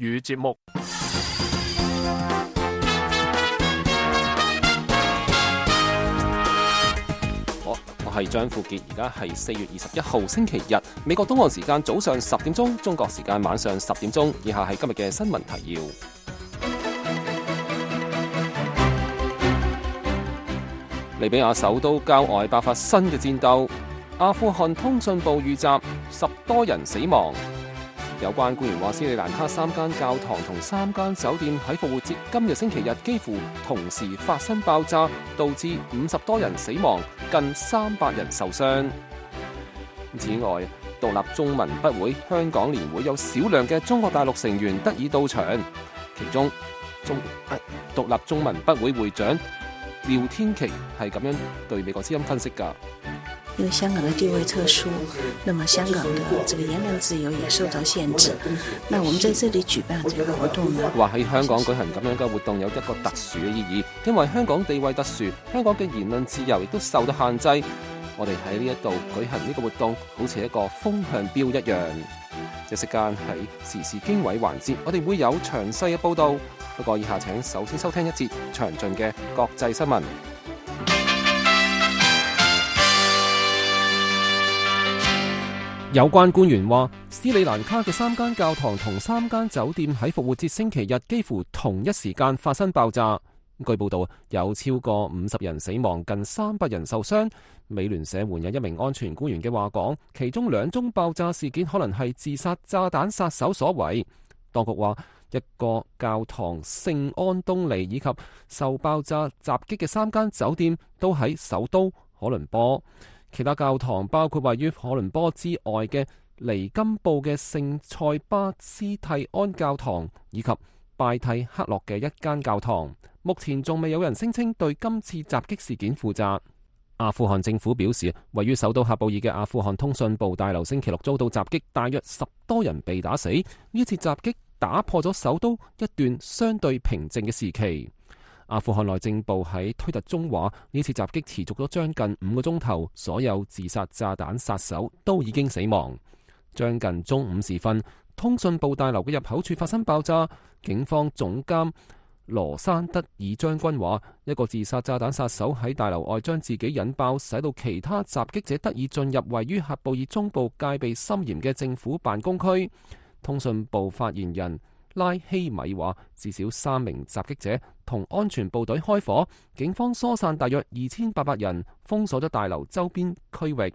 語節目。我係張富傑，而家係4月21號星期日，美國東岸時間早上10點鐘，中國時間晚上10點鐘。以下係今日嘅新聞提要。利比亞首都郊外爆發新嘅戰鬥，阿富汗通訊部遇襲，10多人死亡。有關官員話，斯里蘭卡3間教堂同3間酒店喺復活節今日星期日幾乎同時發生爆炸，導致50多人死亡，近300人受傷。此外，獨立中文筆會香港年會有少量嘅中國大陸成員得以到場，其中獨立中文筆會會長廖天琪係咁樣對美國之音分析㗎。因為香港的地位特殊，那麼香港的這個言論自由也受到限制。那我們在這裡舉辦這個活動呢，話喺香港舉行咁樣嘅活動有一個特殊嘅意義，因為香港地位特殊，香港嘅言論自由亦都受到限制。我哋喺呢一度舉行呢個活動，好似一個風向標一樣。一息間喺時事經緯環節，我哋會有詳細嘅報導。不過以下請首先收聽一節詳盡嘅國際新聞。有關官員話，斯里蘭卡嘅3間教堂同3間酒店喺復活節星期日幾乎同一時間發生爆炸。據報道，有超過50人死亡，近300人受傷。美聯社援引一名安全官員嘅話講，其中2宗爆炸事件可能係自殺炸彈殺手所為。當局話，一個教堂聖安東尼以及受爆炸襲擊嘅3間酒店都喺首都可倫坡。其他教堂包括位於可倫坡之外嘅尼金布嘅聖塞巴斯蒂安教堂，以及拜蒂克洛嘅一間教堂。目前仲未有人聲稱對今次襲擊事件負責。阿富汗政府表示，位於首都喀布爾嘅阿富汗通訊部大樓星期六遭到襲擊，大約10多人被打死。呢次襲擊打破咗首都一段相對平靜嘅時期。阿富汗內政部喺推特中話，呢次襲擊持續咗將近5個鐘頭，所有自殺炸彈殺手都已經死亡。將近中午時分，通訊部大樓嘅入口處發生爆炸。警方總監羅山德爾將軍話，一個自殺炸彈殺手喺大樓外將自己引爆，使到其他襲擊者得以進入位於喀布爾中部戒備森嚴嘅政府辦公區。通訊部發言人拉希米話，至少3名襲擊者同安全部隊開火，警方疏散大約2800人，封鎖咗大樓周邊區域。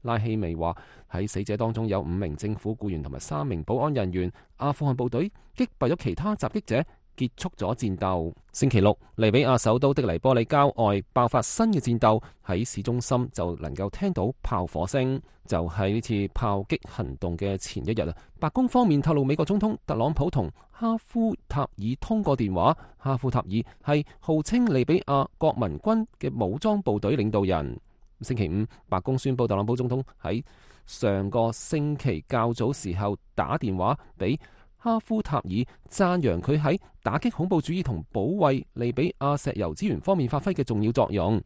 拉希米話，喺死者當中有5名政府僱員同埋3名保安人員。阿富汗部隊擊敗咗其他襲擊者，結束咗戰鬥。星期六，利比亞首都的黎波里郊外爆發新嘅戰鬥，喺市中心就能夠聽到炮火聲。就喺呢次炮擊行動嘅前一日，白宮方面透露，美國總統特朗普同哈夫塔爾通過電話。哈夫塔爾係號稱利比亞國民軍嘅武裝部隊領導人。星期五，白宮宣布特朗普總統喺上個星期較早時候打電話俾哈夫塔爾，讚揚佢喺打擊恐怖主義同保衛利比亞石油資源方面發揮嘅重要作用。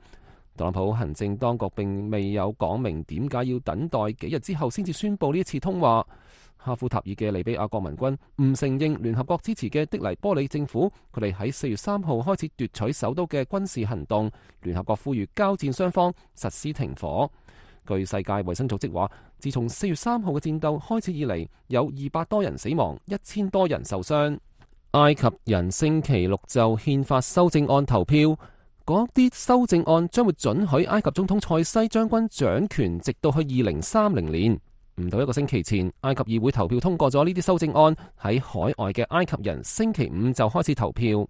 特朗普行政當局並未有講明點解要等待幾日之後先至宣布呢一次通話。哈夫塔爾嘅利比亞國民軍唔承認聯合國支持嘅的黎波里政府，佢哋喺4月3號開始奪取首都嘅軍事行動。聯合國呼籲交戰雙方實施停火。據世界衛生組織話，自從4月3號嘅戰鬥開始以嚟，有200多人死亡，1000多人受傷。埃及人星期六就憲法修正案投票，嗰啲修正案將會准許埃及總統塞西將軍掌權，直到去2030年。唔到一個星期前，埃及議會投票通過咗呢啲修正案。喺海外嘅埃及人星期五就開始投票。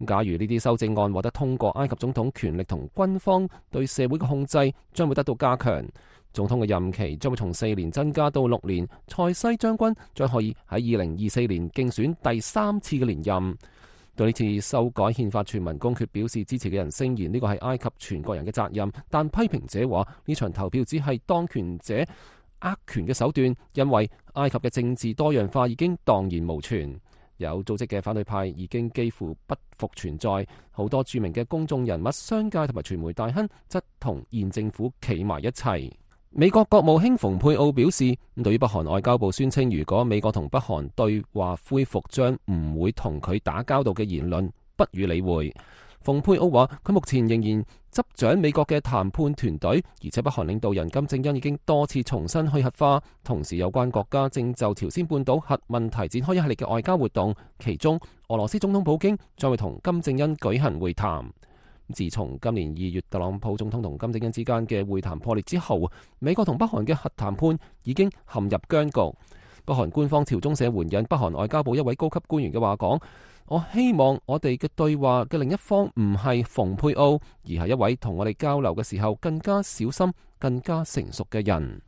假如呢啲修正案獲得通過，埃及總統權力同軍方對社會嘅控制將會得到加強。總統嘅任期將會從4年增加到6年。塞西將軍將可以喺2024年競選第3次嘅連任。對呢次修改憲法全民公決表示支持嘅人聲言呢個係埃及全國人嘅責任，但批評者話呢場投票只係當權者握權嘅手段，因為埃及嘅政治多樣化已經蕩然無存。有組織嘅反對派已經幾乎不復存在，好多著名嘅公眾人物、商界同埋傳媒大亨則同現政府企埋一齊。美國國務卿蓬佩奧表示，對於北韓外交部宣稱如果美國同北韓對話恢復將唔會同佢打交道嘅言論，不予理會。蓬佩奧話，佢目前仍然執掌美國嘅談判團隊，而且北韓領導人金正恩已經多次重申去核化，同時有關國家正就朝鮮半島核問題展開一系列嘅外交活動，其中俄羅斯總統普京將會同金正恩舉行會談。自從今年2月特朗普總統同金正恩之間嘅會談破裂之後，美國同北韓嘅核談判已經陷入僵局。北韓官方朝中社援引北韓外交部一位高級官員嘅話講，我希望我哋嘅對話嘅另一方唔係蓬佩奧，而係一位同我哋交流嘅時候更加小心、更加成熟嘅人。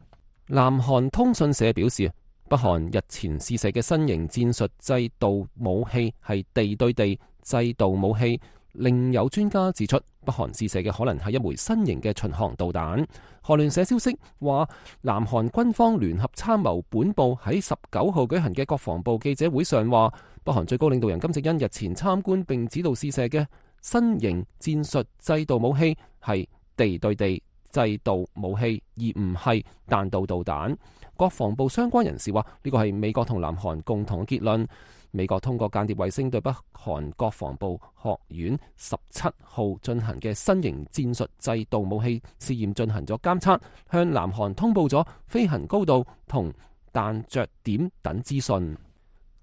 南韓通訊社表示，北韓日前試射嘅新型戰術制導武器係地對地制導武器。另有專家指出，北韓試射嘅可能係一枚新型嘅巡航導彈。韓聯社消息話，南韓軍方聯合參謀本部喺19號舉行嘅國防部記者會上話，北韓最高領導人金正恩日前參觀並指導試射嘅新型戰術制導武器係地對地制導武器，而唔係彈道導彈。國防部相關人士話，呢個係美國同南韓共同嘅結論。美國通過間諜衛星對北韓國防部學院17號進行嘅新型戰術制導武器試驗進行咗監測，向南韓通報咗飛行高度同彈着點等資訊。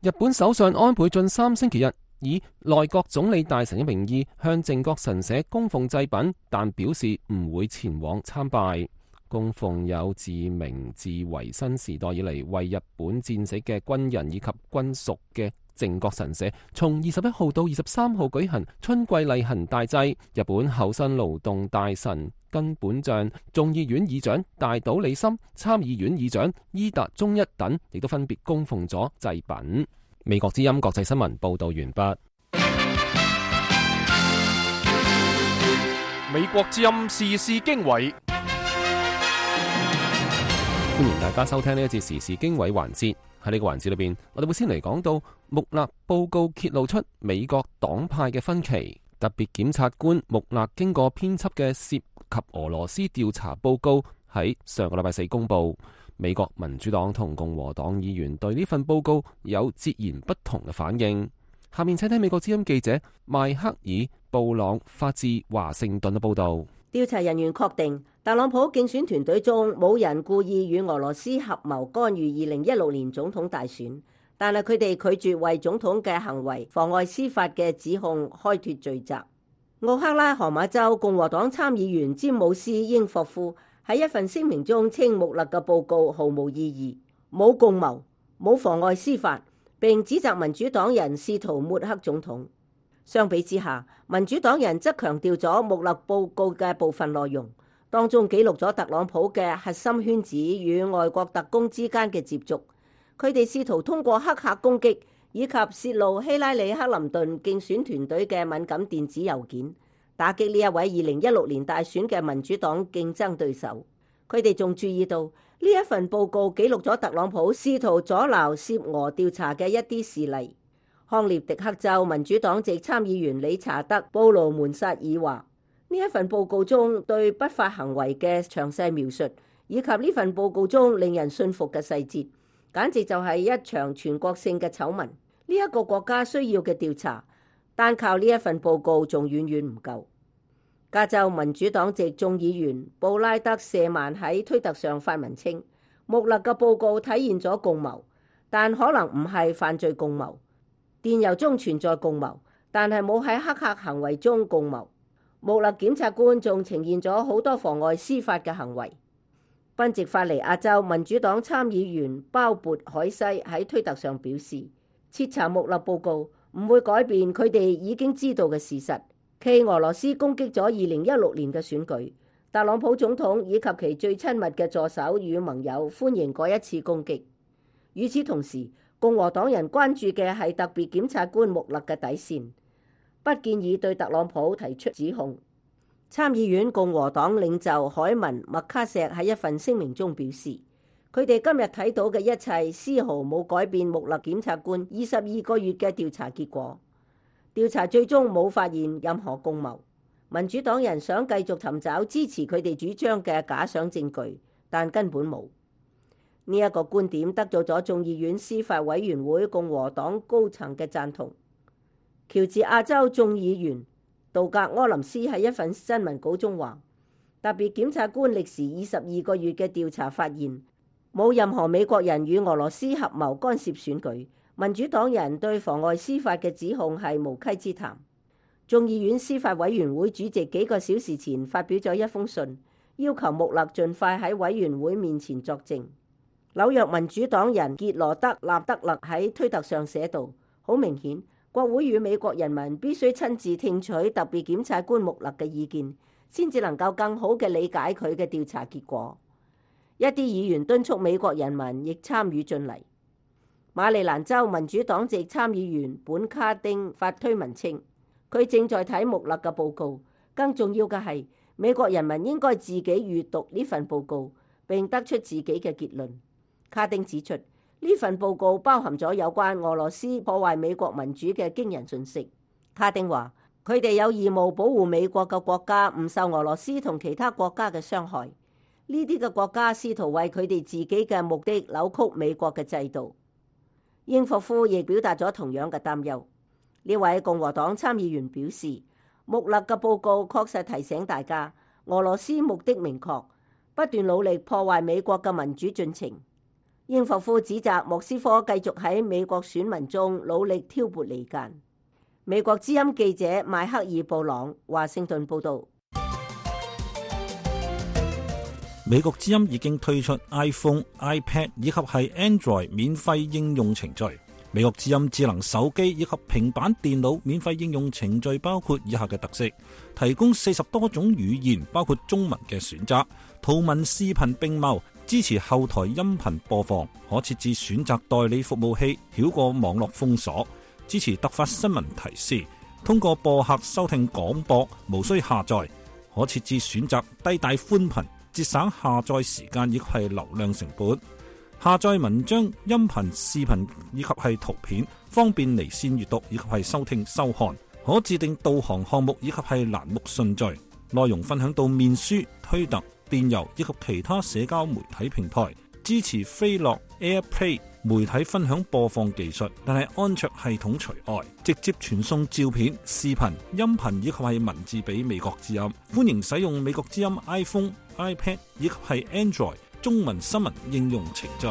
日本首相安倍晉三星期日以內閣總理大臣嘅名義向靖國神社供奉祭品，但表示唔會前往參拜。供奉有自明治維新時代以嚟為日本戰死嘅軍人以及軍屬嘅靖國神社，從21號到23號舉行春季例行大祭。日本厚生勞動大臣根本匠、眾議院議長大島理森、參議院議長伊達忠一等，亦都分別供奉咗祭品。美國之音國際新聞報道完畢。美國之音時事經緯。歡迎大家收聽呢一節時事經緯環節。喺呢個環節裏邊，我哋會先嚟講到穆勒報告揭露出美國黨派嘅分歧。特別檢察官穆勒經過編輯嘅涉及俄羅斯調查報告喺上個禮拜4公布。美國民主黨同共和黨議員對呢份報告有截然不同嘅反應。下面請聽美國之音記者邁克爾布朗發自華盛頓嘅報道。調查人員確定，特朗普競選團隊中冇人故意與俄羅斯合謀干預2016年總統大選，但係佢哋拒絕為總統嘅行為妨礙司法嘅指控開脫罪責。奧克拉荷馬州共和黨參議員詹姆斯英霍夫喺一份聲明中稱穆勒嘅報告毫無意義，冇共謀，冇妨礙司法，並指責民主黨人試圖抹黑總統。相比之下，民主黨人則強調咗穆勒報告嘅部分內容，當中記錄咗特朗普嘅核心圈子與外國特工之間嘅接觸。佢哋試圖通過黑客攻擊以及泄露希拉里克林頓競選團隊嘅敏感電子郵件，打擊呢一位2016年大選嘅民主黨競爭對手。佢哋仲注意到呢一份報告記錄咗特朗普試圖阻撓涉俄調查嘅一啲事例。康涅狄克州民主黨籍參議員理查德·布魯門薩爾話：呢一份報告中對不法行為嘅詳細描述，以及呢份報告中令人信服嘅細節，簡直就係一場全國性嘅醜聞。呢一個國家需要嘅調查，單靠呢一份報告仲遠遠唔夠。加州民主黨籍眾議員布拉德·謝曼喺推特上發文稱，穆勒嘅報告體現咗共謀，但可能唔係犯罪共謀。電郵中存在共謀，但係冇喺黑客行為中共謀。穆勒檢察官仲呈現咗好多妨礙司法嘅行為。賓夕法尼亞州民主黨參議員鮑勃海西喺推特上表示，徹查穆勒報告唔會改變佢哋已經知道嘅事實。其俄羅斯攻擊咗2016年嘅選舉，特朗普總統以及其最親密嘅助手與盟友歡迎嗰一次攻擊。與此同時，共和黨人關注嘅係特別檢察官穆勒嘅底線，不建議對特朗普提出指控。參議院共和黨領袖海文麥卡錫喺一份聲明中表示，佢哋今日睇到嘅一切絲毫冇改變穆勒檢察官22個月嘅調查結果。調查最終冇發現任何共謀。民主黨人想繼續尋找支持佢哋主張嘅假想證據，但根本冇。呢一個觀點得到咗眾議院司法委員會共和黨高層嘅贊同。喬治亞州眾議員杜格柯林斯喺一份新聞稿中話，特別檢察官歷時22個月嘅調查發現，冇任何美國人與俄羅斯合謀干涉選舉。民主黨人對妨礙司法嘅指控係無稽之談。眾議院司法委員會主席幾個小時前發表咗一封信，要求穆勒盡快喺委員會面前作證。紐約民主黨人傑羅德納德勒喺推特上寫道，好明顯，國會與美國人民必須親自聽取特別檢察官穆勒嘅意見，先至能夠更好嘅理解佢嘅調查結果。一啲議員敦促美國人民亦參與進嚟。馬里蘭州民主黨籍參議員本卡丁發推文稱，佢正在睇穆勒嘅報告，更重要嘅係美國人民應該自己閱讀呢份報告並得出自己嘅結論。卡丁指出，呢份報告包含咗有關俄羅斯破壞美國民主嘅驚人訊息。卡丁話，佢哋有義務保護美國嘅國家唔受俄羅斯同其他國家嘅傷害。呢啲嘅國家試圖為佢哋自己嘅目的扭曲美國嘅制度。英霍夫亦表達咗同樣嘅擔憂。呢位共和黨參議員表示，穆勒嘅報告確實提醒大家，俄羅斯目的明確，不斷努力破壞美國嘅民主進程。英霍夫指責莫斯科繼續喺美國選民中努力挑撥離間。美國之音記者邁克爾布朗華盛頓報道。美國之音已經推出 iPhone、iPad 以及係 Android 免費應用程序。美國之音智能手機以及平板電腦免費應用程序包括以下嘅特色：提供40多種語言，包括中文嘅選擇，圖文視頻並茂，支持後台音頻播放，可設置選擇代理服務器，繞過網絡封鎖，支持突發新聞提示，通過播客收聽廣播，無需下載，可設置選擇低帶寬頻，節省下載時間亦係流量成本。下載文章、音頻、視頻以及係圖片，方便離線閱讀以及係收聽收看。可自定導航項目以及係欄目順序。內容分享到面書、推特、電郵以及其他社交媒體平台。支持飛樂 AirPlay 媒體分享播放技術，但係安卓系統除外。直接傳送照片、視頻、音頻以及係文字俾美國之音。歡迎使用美國之音 iPhone、iPad 以及係 Android 中文新聞應用程序。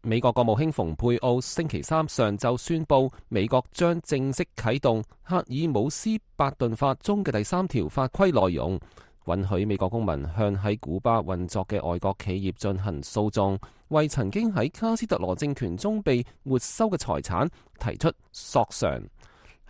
美國國務卿蓬佩奧星期三上晝宣布，美國將正式啟動赫爾姆斯伯頓法中嘅第3條法規內容，允許美國公民向喺古巴運作嘅外國企業進行訴訟，為曾經喺卡斯特羅政權中被沒收嘅財產提出索償。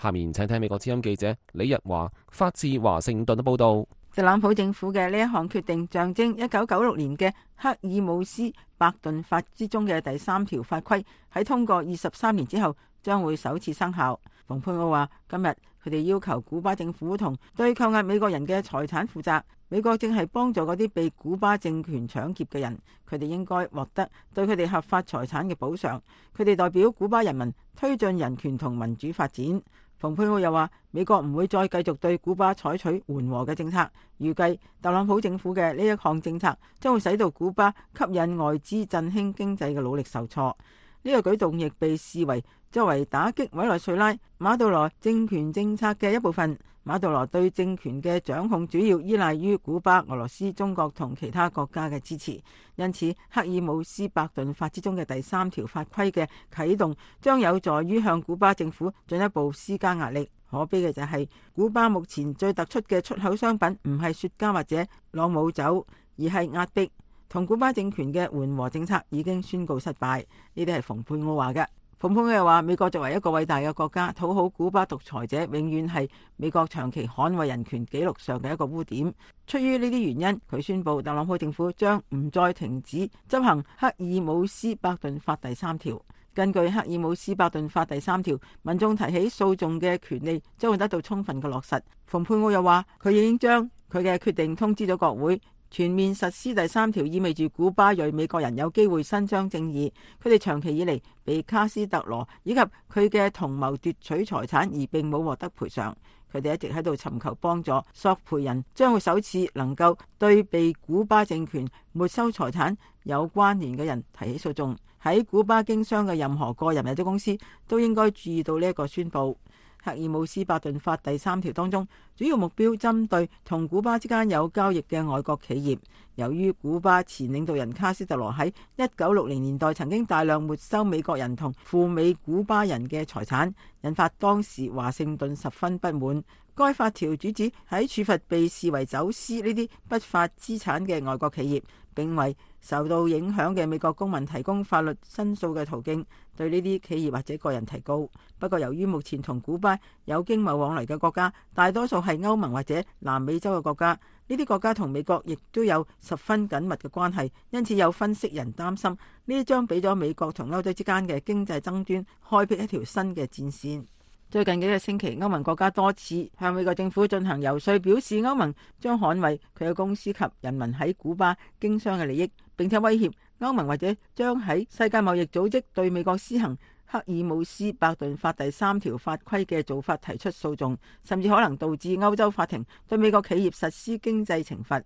下面請聽美國之音記者李日華發自華盛頓嘅報道。特朗普政府嘅呢一項決定，象徵1996年嘅赫爾姆斯伯頓法之中嘅第3條法規喺通過23年之後將會首次生效。蓬佩奧話，今日佢哋要求古巴政府同對扣押美國人嘅財產負責。美國正係幫助嗰啲被古巴政權搶劫嘅人，佢哋應該獲得對佢哋合法財產嘅補償。佢哋代表古巴人民推進人權同民主發展。蓬佩奧又話，美國唔會再繼續對古巴採取緩和嘅政策，預計特朗普政府嘅呢一項政策將會使到古巴吸引外資振興經濟嘅努力受挫。呢個舉動亦被視為作為打擊委內瑞拉馬杜羅政權政策嘅一部分。馬杜羅對政權嘅掌控主要依賴於古巴、俄羅斯、中國同其他國家嘅支持，因此赫爾姆斯伯頓法之中嘅第3條法規嘅啟動將有助於向古巴政府進一步施加壓力。可悲嘅就係，古巴目前最突出嘅出口商品唔係雪茄或者朗姆酒，而係壓迫。同古巴政權嘅緩和政策已經宣告失敗。呢啲係蓬佩奧話嘅。蓬佩奧又話，美國作為一個偉大嘅國家，討好古巴獨裁者永遠係美國長期捍衛人權紀錄上嘅一個污點。出於呢啲原因，佢宣布特朗普政府將唔再停止執行赫爾姆斯伯頓法第3條。根據赫爾姆斯伯頓法第3條，民眾提起訴訟嘅權利將會得到充分嘅落實。蓬佩奧又話，佢已經將佢嘅決定通知咗國會，全面實施第3條意味住古巴裔美國人有機會伸張正義，佢哋長期以嚟被卡斯特羅以及佢嘅同謀奪取財產而並冇獲得賠償。佢哋一直喺度尋求幫助，索賠人將會首次能夠對被古巴政權沒收財產有關聯嘅人提起訴訟。喺古巴經商嘅任何個人或者公司都應該注意到呢一個宣佈。赫爾姆斯伯頓法第3條當中，主要目標針對同古巴之間有交易嘅外國企業。由於古巴前領導人卡斯特羅喺1960年代曾經大量沒收美國人同赴美古巴人嘅財產，引發當時華盛頓十分不滿。該法條主旨喺處罰被視為走私呢啲不法資產嘅外國企業，並為受到影響嘅美國公民提供法律申訴嘅途徑，對呢啲企業或者個人提告。不過由於目前同古巴有經貿往來嘅國家大多數係歐盟或者南美洲嘅國家，呢啲國家同美國亦都有十分緊密嘅關係，因此有分析人擔心呢啲將俾咗美國同歐洲之間嘅經濟爭端開闢一條新嘅戰線。最近幾個星期，歐盟國家多次向美國政府進行遊說，表示歐盟將捍衛佢嘅公司及人民喺古巴經商嘅利益，並且威脅歐盟或者將喺世界貿易組織對美國施行赫爾姆斯伯頓法第3條法規嘅做法提出訴訟，甚至可能導致歐洲法庭對美國企業實施經濟懲罰。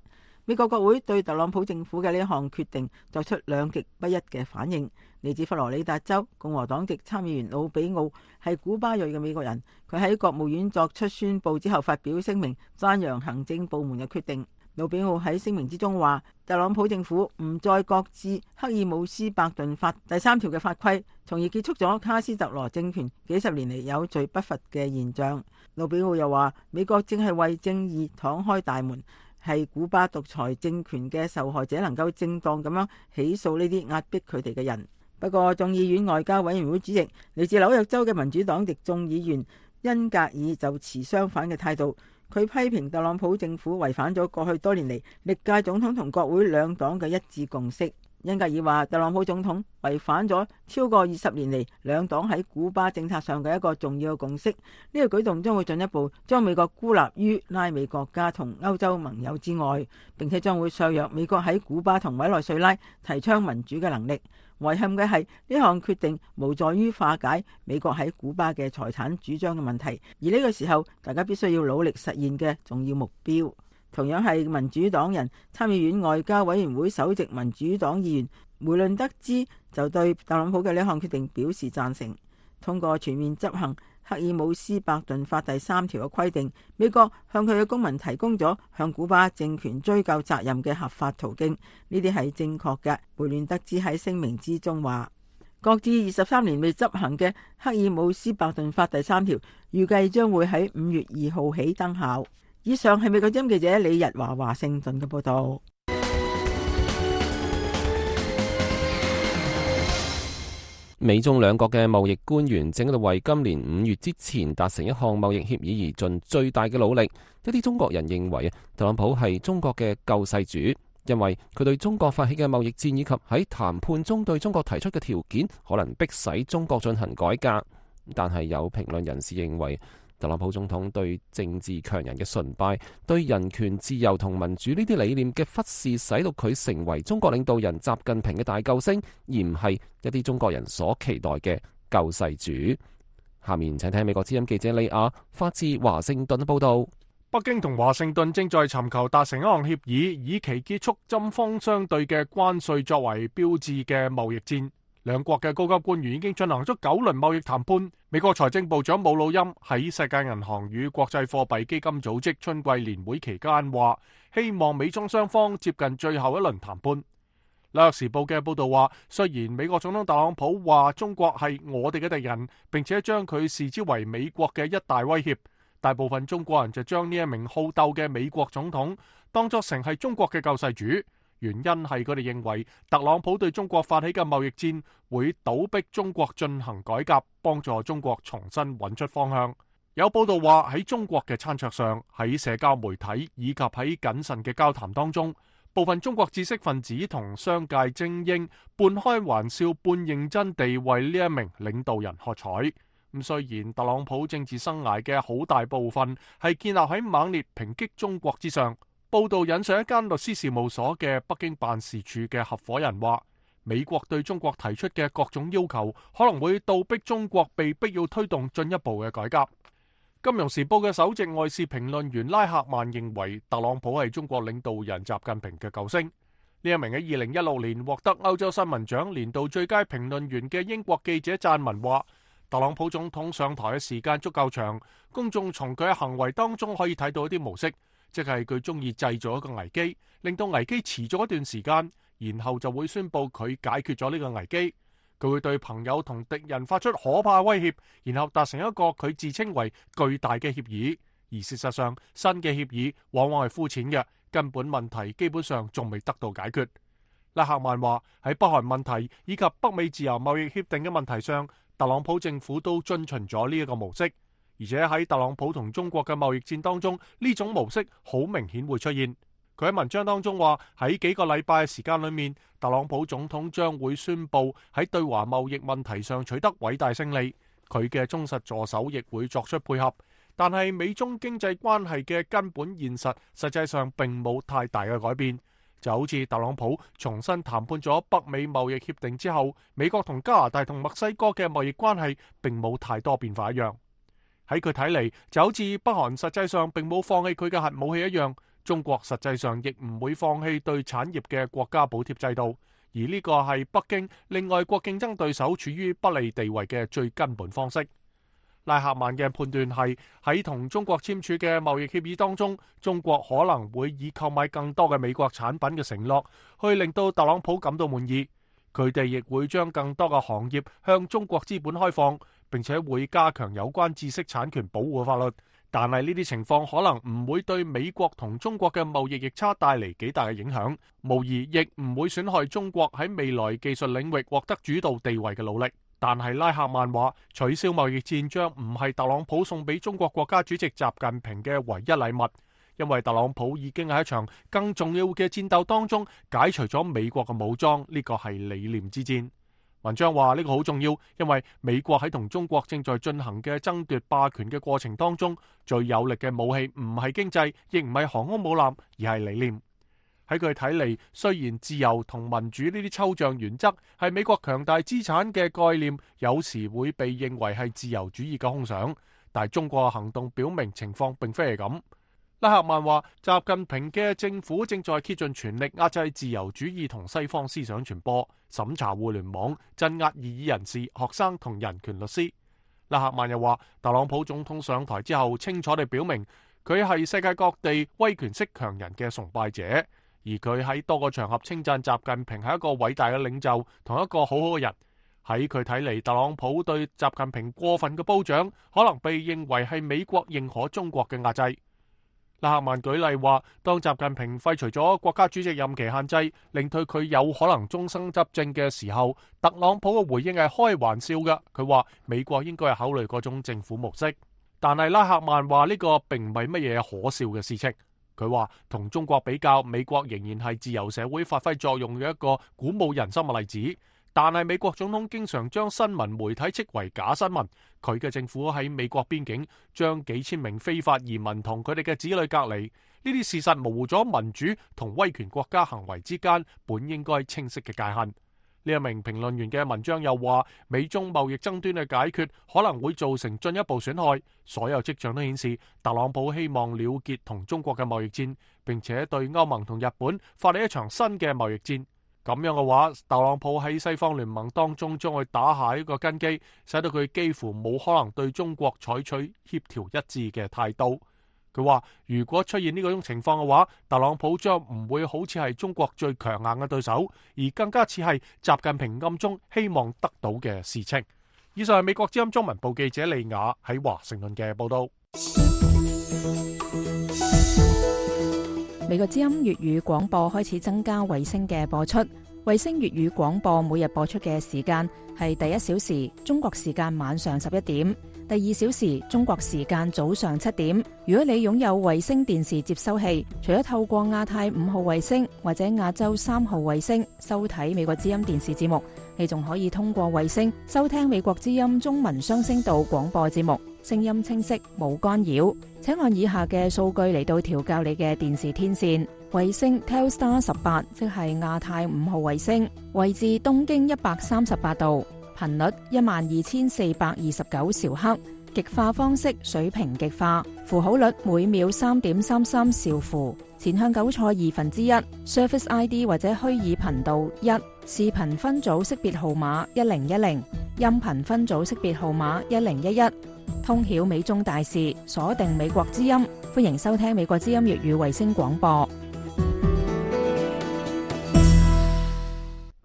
美國國會對特朗普政府嘅呢項決定作出兩極不一嘅反應。嚟自佛羅里達州共和黨籍參議員魯比奧係古巴裔嘅美國人，佢喺國務院作出宣佈之後發表聲明，讚揚行政部門嘅決定。魯比奧喺聲明之中話，特朗普政府唔再擱置赫爾姆斯伯頓法第3條嘅法規，從而結束咗卡斯特羅政權幾十年嚟有罪不罰嘅現象。魯比奧又話，美國正係為正義敞開大門，係古巴獨裁政權嘅受害者能夠正當咁樣起訴呢啲壓迫佢哋嘅人。不過眾議院外交委員會主席嚟自紐約州嘅民主黨籍眾議員恩格爾就持相反嘅態度，佢批評特朗普政府違反咗過去多年嚟歷屆總統同國會兩黨嘅一致共識。恩格爾話，特朗普總統違反咗超過20年嚟兩黨喺古巴政策上嘅一個重要嘅共識，呢個舉動將會進一步將美國孤立於拉美國家同歐洲盟友之外，並且將會削弱美國喺古巴同委內瑞拉提倡民主嘅能力。遺憾嘅係呢項決定無助於化解美國喺古巴嘅財產主張嘅問題，而呢個時候大家必須要努力實現嘅重要目標。同樣係民主黨人，參議院外交委員會首席民主黨議員梅倫德茲就對特朗普嘅呢項決定表示贊成。通過全面執行赫爾姆斯伯頓法第3條嘅規定，美國向佢嘅公民提供咗向古巴政權追究責任嘅合法途徑，呢啲係正確嘅。梅倫德茲喺聲明之中話，擱置23年未執行嘅赫爾姆斯伯頓法第3條，預計將會喺5月2號起生效。以上係美國之音記者李日華華盛頓嘅報道。美中兩國嘅貿易官員正喺度為今年5月之前達成一項貿易協議而盡最大嘅努力。一啲中國人認為特朗普係中國嘅救世主，因為佢對中國發起嘅貿易戰以及喺談判中對中國提出嘅條件，可能迫使中國進行改革。但係有評論人士認為，特朗普總統對政治強人嘅崇拜、對人權、自由同民主呢啲理念嘅忽視，使到佢成為中國領導人習近平嘅大救星，而唔係一啲中國人所期待嘅救世主。下面請聽美國之音記者李亞發自華盛頓報道。北京同華盛頓正在尋求達成一項協議，以期結束針鋒相對嘅關稅作為標誌嘅貿易戰。兩國嘅高級官員已經進行咗9輪貿易談判。美國財政部長姆努欽喺世界銀行與國際貨幣基金組織春季年會期間話，希望美中雙方接近最後一輪談判。紐約時報嘅報道話，雖然美國總統特朗普話中國係我哋嘅敵人，並且將佢視之為美國嘅一大威脅，大部分中國人就將呢一名好鬥嘅美國總統當作成係中國嘅救世主。原因係佢哋認為特朗普對中國發起嘅貿易戰會倒逼中國進行改革，幫助中國重新揾出方向。有報道話，喺中國嘅餐桌上，喺社交媒體以及喺謹慎嘅交談當中，部分中國知識分子同商界精英半開玩笑半認真地為呢一名領導人喝彩。咁雖然特朗普政治生涯嘅好大部分係建立喺猛烈抨擊中國之上，報道引述一間律師事務所嘅北京辦事處嘅合夥人話，美國對中國提出嘅各種要求可能會倒逼中國被迫要推動進一步嘅改革。金融時報嘅首席外事評論員拉赫曼認為，特朗普係中國領導人習近平嘅救星。呢一名喺2016年獲得歐洲新聞獎年度最佳評論員嘅英國記者撰文話，特朗普總統上台嘅時間足夠長，公眾從佢嘅行為當中可以睇到一啲模式，即係佢中意製造一個危機，令到危機持續一段時間，然後就會宣佈佢解決咗呢個危機。佢會對朋友同敵人發出可怕威脅，然後達成一個佢自稱為巨大嘅協議。而事實上，新嘅協議往往係膚淺嘅，根本問題基本上仲未得到解決。拉赫曼話，喺北韓問題以及北美自由貿易協定嘅問題上，特朗普政府都遵循咗呢一個模式，而且喺特朗普同中國嘅貿易戰當中，呢種模式好明顯會出現。佢喺文章當中話，喺幾個禮拜嘅時間裏面，特朗普總統將會宣布喺對華貿易問題上取得偉大勝利，佢嘅忠實助手亦會作出配合。但係美中經濟關係嘅根本現實，實際上並冇太大嘅改變。就好似特朗普重新談判咗北美貿易協定之後，美國同加拿大同墨西哥嘅貿易關係並冇太多變化一樣。喺佢睇嚟，就好似北韓實際上並冇放棄佢嘅核武器一樣，中國實際上亦唔會放棄對產業嘅國家補貼制度，而呢個係北京令外國競爭對手處於不利地位嘅最根本方式。拉赫曼嘅判斷係，喺同中國簽署嘅貿易協議當中，中國可能會以購買更多嘅美國產品嘅承諾，去令到特朗普感到滿意。佢哋亦會將更多嘅行業向中國資本開放，並且會加強有關知識產權保護嘅法律。但係呢啲情況可能唔會對美國同中國嘅貿易逆差帶嚟幾大嘅影響，無疑亦唔會損害中國喺未來技術領域獲得主導地位嘅努力。但係拉赫曼話，取消貿易戰將唔係特朗普送俾中國國家主席習近平嘅唯一禮物，因為特朗普已經喺一場更重要嘅戰鬥當中解除咗美國嘅武裝，呢個係理念之戰。文章話呢個好重要，因為美國喺同中國正在進行嘅爭奪霸權嘅過程當中，最有力嘅武器唔係經濟，亦唔係航空母艦，而係理念。喺佢睇嚟，雖然自由同民主呢啲抽象原則係美國強大資產嘅概念，有時會被認為係自由主義嘅空想，但係中國嘅行動表明情況並非係咁。拉赫曼話，習近平嘅政府正在竭盡全力壓制自由主義同西方思想傳播，審查互聯網，鎮壓異議人士、學生同人權律師。拉赫曼又話，特朗普總統上台之後，清楚地表明佢係世界各地威權式強人嘅崇拜者，而佢喺多個場合稱讚習近平係一個偉大嘅領袖同一個好好嘅人。喺佢睇嚟，特朗普對習近平過分嘅褒獎，可能被認為係美國認可中國嘅壓制。拉赫曼舉例話，當習近平廢除咗國家主席任期限制，令到佢有可能終生執政嘅時候，特朗普嘅回應係開玩笑嘅。佢話美國應該係考慮嗰種政府模式，但係拉赫曼話呢個並唔係乜嘢可笑嘅事情。佢話同中國比較，美國仍然係自由社會發揮作用嘅一個鼓舞人心嘅例子。但係美國總統經常將新聞媒體斥為假新聞，佢嘅政府喺美國邊境將幾千名非法移民同佢哋嘅子女隔離，呢啲事實模糊咗民主同威權國家行為之間本應該清晰嘅界限。呢一名評論員嘅文章又話，美中貿易爭端嘅解決可能會造成進一步損害，所有跡象都顯示特朗普希望了結同中國嘅貿易戰，並且對歐盟同日本發起一場新嘅貿易戰。咁樣嘅話，特朗普喺西方聯盟當中將會打下一個根基，使到佢幾乎冇可能對中國採取協調一致嘅態度。佢話如果出現呢種情況嘅話，特朗普將唔會好似係中國最強硬嘅對手，而更加似係習近平暗中希望得到嘅事情。以上係美國之音中文部記者利雅喺華盛頓嘅報道。美國之音粵語廣播開始增加衛星嘅播出，衛星粵語廣播每日播出嘅時間係第1小時中國時間晚上11點，第2小時中國時間早上7點。如果你擁有衛星電視接收器，除咗透過亞太5號衛星或者亞洲3號衛星收睇美國之音電視節目，你仲可以通過衛星收聽美國之音中文雙聲道廣播節目。聲音清晰，冇干擾。請按以下嘅數據嚟到調校你嘅電視天線。衛星 Telstar 18，即係亞太5號衛星，位置東經138度，頻率12429兆赫。極化方式水平極化，符號率每秒3.33兆符，前向糾錯1/2 ，Surface ID 或者虛擬頻道1，視頻分組識別號碼1010，音頻分組識別號碼1011，通曉美中大事，鎖定美國之音，歡迎收聽美國之音粵語衛星廣播。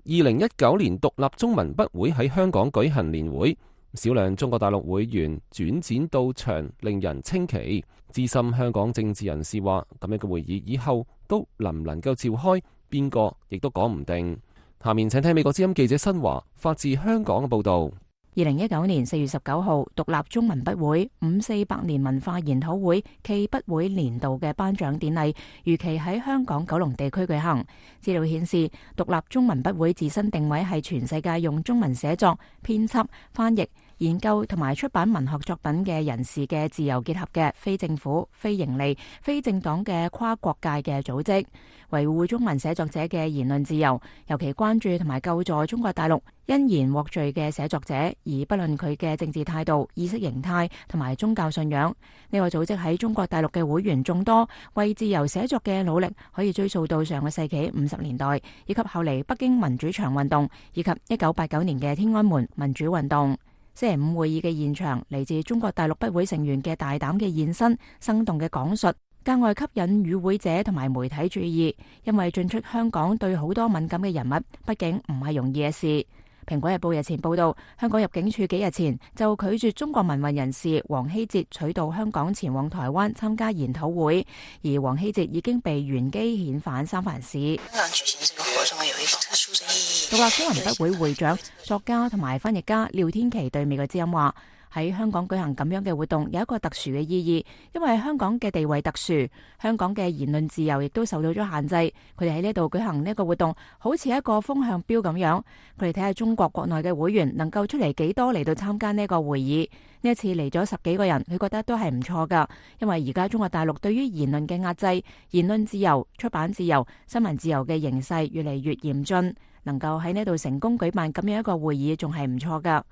2019年獨立中文筆會喺香港舉行年會。少量中國大陸會員轉戰到場，令人稱奇。資深香港政治人士話：咁樣嘅會議以後都能唔能夠召開，邊個亦都講唔定。下面請聽美國之音記者新華發自香港嘅報導。2019年4月19號，獨立中文筆會548年文化研討會暨筆會年度嘅頒獎典禮，如期喺香港九龍地區舉行。資料顯示，獨立中文筆會自身定位係全世界用中文寫作、編輯、翻譯、研究同埋出版文學作品嘅人士嘅自由結合嘅非政府、非營利、非政黨嘅跨國界嘅組織，維護中文寫作者嘅言論自由，尤其關注同埋救助中國大陸因言獲罪嘅寫作者，而不論佢嘅政治態度、意識形態同埋宗教信仰。呢個組織喺中國大陸嘅會員眾多，為自由寫作嘅努力可以追溯到上個世紀50年代，以及後嚟北京民主牆運動，以及1989年嘅天安門民主運動。星期五會議嘅現場，嚟自中國大陸筆會成員嘅大膽嘅現身、生動嘅講述，格外吸引與會者同埋媒體注意，因為進出香港對好多敏感嘅人物，畢竟唔係容易嘅事。蘋果日報日前報道，香港入境處幾日前就拒絕中國民運人士黃希哲取道香港前往台灣參加研討會，而黃希哲已經被原機遣返三藩市。香港舉行這個活動有一個特殊嘅意義。獨立中文筆會會長、作家同埋翻譯家廖天琪對美國之音話：喺香港舉行咁樣嘅活動有一個特殊嘅意義，因為香港嘅地位特殊，香港嘅言論自由亦都受到咗限制。佢哋喺呢度舉行呢個活動，好似一個風向標咁樣。佢哋睇下中國國內嘅會員能夠出嚟幾多嚟到參加呢個會議。呢一次嚟咗10幾個人，佢覺得都係唔錯噶，因為而家中國大陸對於言論嘅壓制、言論自由、出版自由、新聞自由嘅形勢越嚟越嚴峻，能夠喺呢度成功舉辦咁樣一個會議，仲係唔錯噶。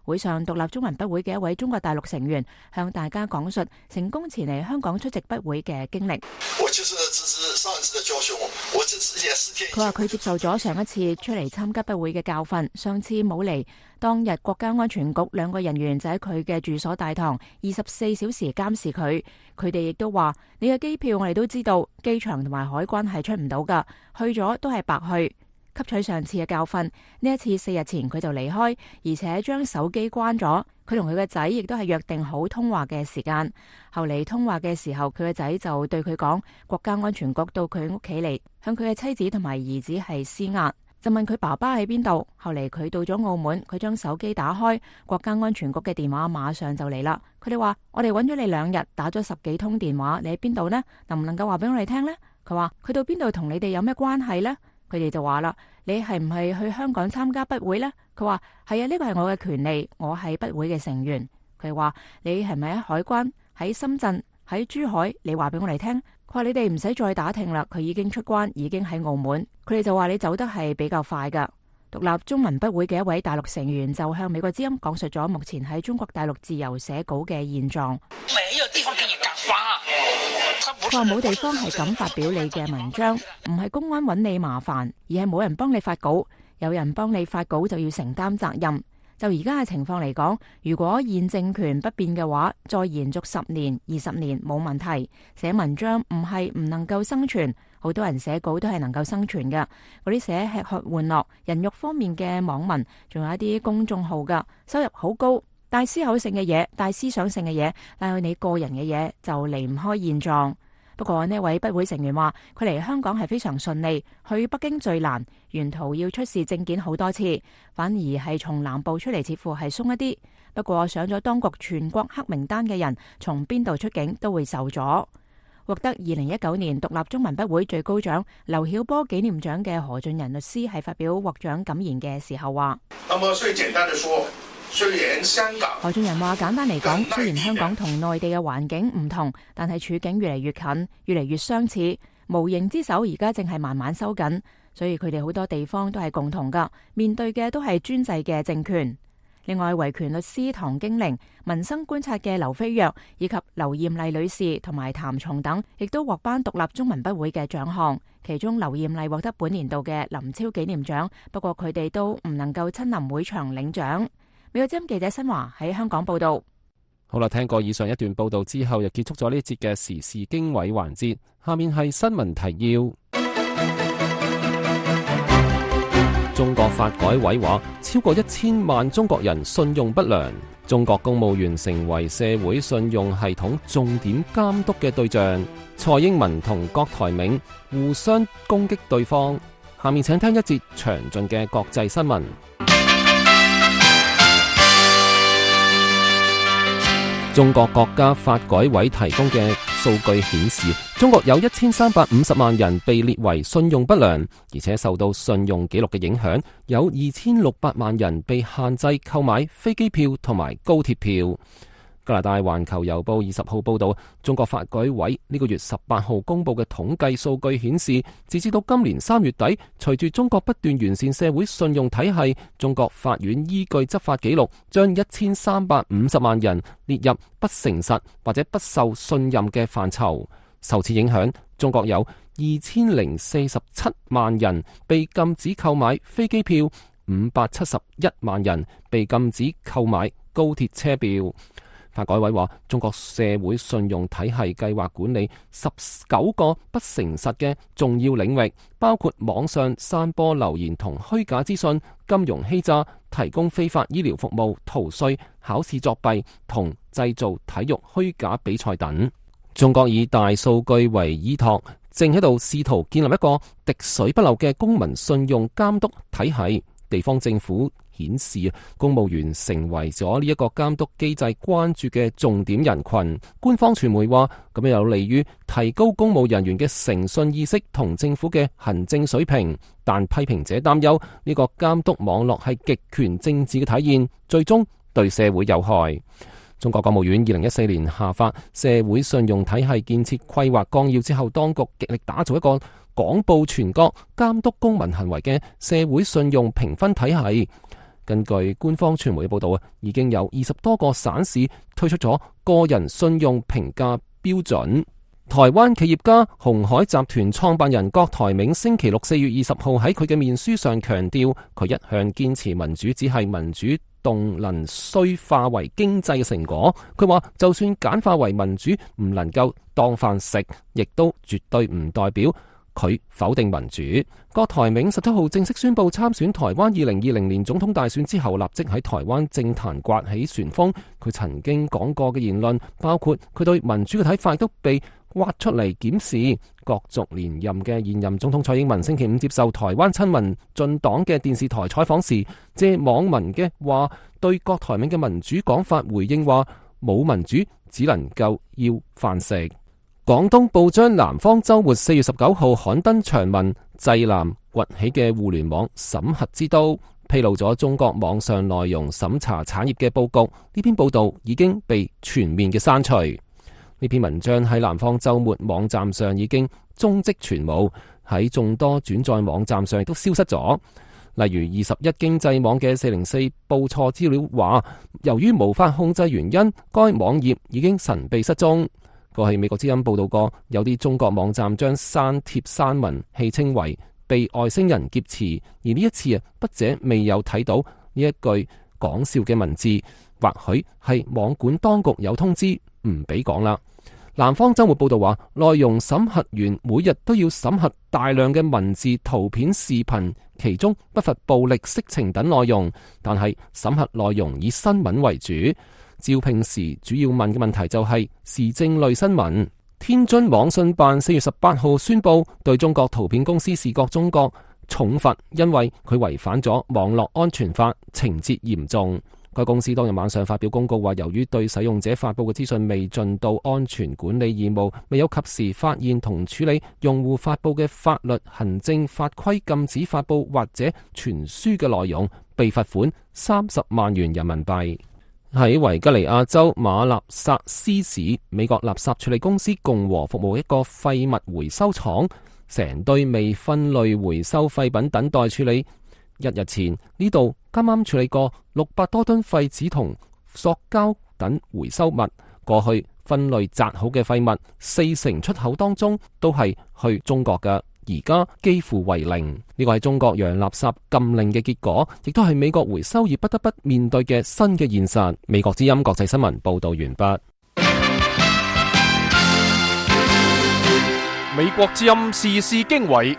會上，獨立中文筆會嘅一位中國大陸成員向大家講述成功前嚟香港出席筆會嘅經歷。佢話佢接受咗上一次出嚟參加筆會嘅教訓，上次冇嚟。當日國家安全局2個人員就喺佢嘅住所大堂24小時監視佢。佢哋亦都話：你嘅機票我哋都知道，機場同埋海關係出唔到噶，去咗都係白去。吸取上次嘅教訓，呢一次4日前佢就離開，而且將手機關咗。佢同佢嘅仔亦都係約定好通話嘅時間。後嚟通話嘅時候，佢嘅仔就對佢講，國家安全局到佢屋企嚟，向佢嘅妻子同埋兒子係施壓，就問佢爸爸喺邊度。後嚟佢到咗澳門，佢將手機打開，國家安全局嘅電話馬上就嚟啦。佢哋話：我哋揾咗你2日，打咗10幾通電話，你喺邊度呢？能唔能夠話俾我哋聽呢？佢話：佢到邊度同你哋有咩關係呢？佢哋就話啦：你係唔係去香港參加筆會呢？佢話：係啊，呢個係我嘅權利，我係筆會嘅成員。佢話：你係咪喺海關、喺深圳、喺珠海？你話俾我哋聽。佢話：你哋唔使再打聽啦，佢已經出關，已經喺澳門。佢哋就話：你走得係比較快噶。獨立中文筆會嘅一位大陸成員就向美國之音講述咗目前喺中國大陸自由寫稿嘅現狀。佢話冇地方係咁發表你嘅文章，唔係公安揾你麻煩，而係冇人幫你發稿。有人幫你發稿就要承擔責任。就而家嘅情況嚟講，如果現政權不變嘅話，再延續10年、20年冇問題。寫文章唔係唔能夠生存，好多人寫稿都係能夠生存嘅。嗰啲寫吃喝玩樂、人肉方面嘅網民，仲有一啲公眾號噶，收入好高。帶思考性嘅嘢、帶思想性嘅嘢，帶去你個人嘅嘢，就離唔開現狀。不過呢位筆會成員話，佢嚟香港係非常順利，去北京最難，沿途要出示證件好多次，反而係從南部出嚟似乎係鬆一啲。不過上咗當局全國黑名單嘅人，從邊度出境都會受阻。獲得2019年獨立中文筆會最高獎劉曉波紀念獎嘅何俊仁律師喺發表獲獎感言嘅時候話：那麼最簡單的說，何俊仁話：簡單嚟講，雖然香港同內地嘅環境唔同，但係處境越嚟越近，越嚟越相似。無形之手而家正係慢慢收緊，所以佢哋好多地方都係共同噶，面對嘅都係專制嘅政權。另外，維權律師唐經玲、民生觀察嘅劉飛躍以及劉艷麗女士同埋譚松等，亦都獲頒獨立中文筆會嘅獎項。其中劉艷麗獲得本年度嘅林超紀念獎，不過佢哋都唔能夠親臨會場領獎。美國之音記者新華喺香港報道。好啦，聽過以上一段報道之後，就結束咗呢節嘅時事經緯環節。下面係新聞提要。中國發改委話，超過1000萬中國人信用不良，中國公務員成為社會信用系統重點監督嘅對象。蔡英文同郭台銘互相攻擊對方。下面請聽一節詳盡嘅國際新聞。中國國家發改委提供嘅數據顯示，中國有1350萬人被列為信用不良，而且受到信用記錄嘅影響，有2600萬人被限制購買飛機票同埋高鐵票。加拿大環球郵報20號報道，中國發改委呢個月18號公布嘅統計數據顯示，截至到今年3月底，隨住中國不斷完善社會信用體系，中國法院依據執法記錄，將1350萬人列入不誠實或者不受信任嘅範疇。受此影響，中國有2047萬人被禁止購買飛機票，571萬人被禁止購買高鐵車票。發改委話，中國社會信用體系計劃管理19個不誠實嘅重要領域，包括網上散播流言同虛假資訊、金融欺詐、提供非法醫療服務、逃稅、考試作弊同製造體育虛假比賽等。中國以大數據為依託，正喺度試圖建立一個滴水不漏嘅公民信用監督體系。地方政府顯示，公務員成為咗呢一個監督機制關注嘅重點人群。官方傳媒話，咁樣有利於提高公務人員嘅誠信意識同政府嘅行政水平。但批評者擔憂呢個監督網絡係極權政治嘅體現，最終對社會有害。中國國務院2014年下發社會信用體系建設規劃綱要之後，當局極力打造一個廣布全國、監督公民行為嘅社會信用評分體系。根據官方傳媒嘅報道，已經有20多個省市推出咗個人信用評價標準。台灣企業家鴻海集團創辦人郭台銘星期六4月20號喺佢嘅面書上強調，佢一向堅持民主只係民主動能需化為經濟嘅成果。佢話就算簡化為民主唔能夠當飯食，亦都絕對唔代表佢否定民主。郭台銘17號正式宣布參選台灣2020年總統大選之後，立即喺台灣政壇颳起旋風。佢曾經講過嘅言論，包括佢對民主嘅睇法，都被挖出嚟檢視。角逐連任嘅現任總統蔡英文星期五接受台灣親民進黨嘅電視台採訪時，借網民嘅話對郭台銘嘅民主講法回應話：冇民主只能夠要飯食。廣東報章南方周末4月19號刊登長文，濟南崛起嘅互聯網審核之都，披露咗中國網上內容審查產業嘅佈局。呢篇報道已經被全面嘅刪除。呢篇文章喺南方周末網站上已經蹤跡全無，喺眾多轉載網站上亦都消失咗。例如21經濟網嘅404報錯資料話，由於無法控制原因，該網頁已經神秘失蹤。過去美國之音報道過，有啲中國網站將刪帖刪文戲稱為被外星人劫持，而呢一次筆者未有睇到呢一句講笑嘅文字，或許係網管當局有通知唔俾講啦。南方周末報道話，內容審核員每日都要審核大量嘅文字、圖片、視頻，其中不乏暴力、色情等內容，但係審核內容以新聞為主。招聘時主要問嘅問題就係時政類新聞。天津網信辦4月18號宣布對中國圖片公司視覺中國重罰，因為佢違反咗網絡安全法，情節嚴重。該公司當日晚上發表公告話，由於對使用者發布嘅資訊未盡到安全管理義務，未有及時發現同處理用戶發布嘅法律、行政法規禁止發布或者傳輸嘅內容，被罰款30萬元人民幣。喺維吉尼亞州馬納薩斯市，美國垃圾處理公司共和服務一個廢物回收廠，成堆未分類回收廢品等待處理。1日前，呢度啱啱處理過600多噸廢紙同塑膠等回收物。過去分類紮好嘅廢物，40%出口當中都係去中國嘅，而家幾乎為零。呢個係中國洋垃圾禁令嘅結果，亦都係美國回收業不得不面對嘅新嘅現實。美國之音國際新聞報道完畢。美國之音時事經緯，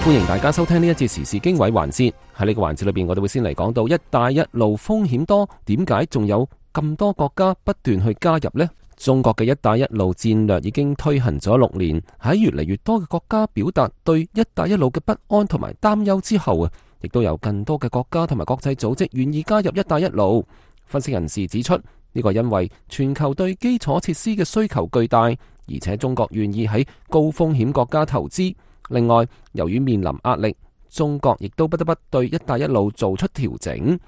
歡迎大家收聽呢一節時事經緯環節。喺呢個環節裏邊，我哋會先嚟講到一帶一路風險多，點解仲有咁多國家不斷去加入呢？中國嘅一帶一路戰略已經推行咗6年，喺越嚟越多嘅國家表達對一帶一路嘅不安同埋擔憂之後啊，亦都有更多嘅國家同埋國際組織願意加入一帶一路。分析人士指出，呢個因為全球對基礎設施嘅需求巨大，而且中國願意喺高風險國家投資。另外，由於面臨壓力，中國亦都不得不對一帶一路做出調整。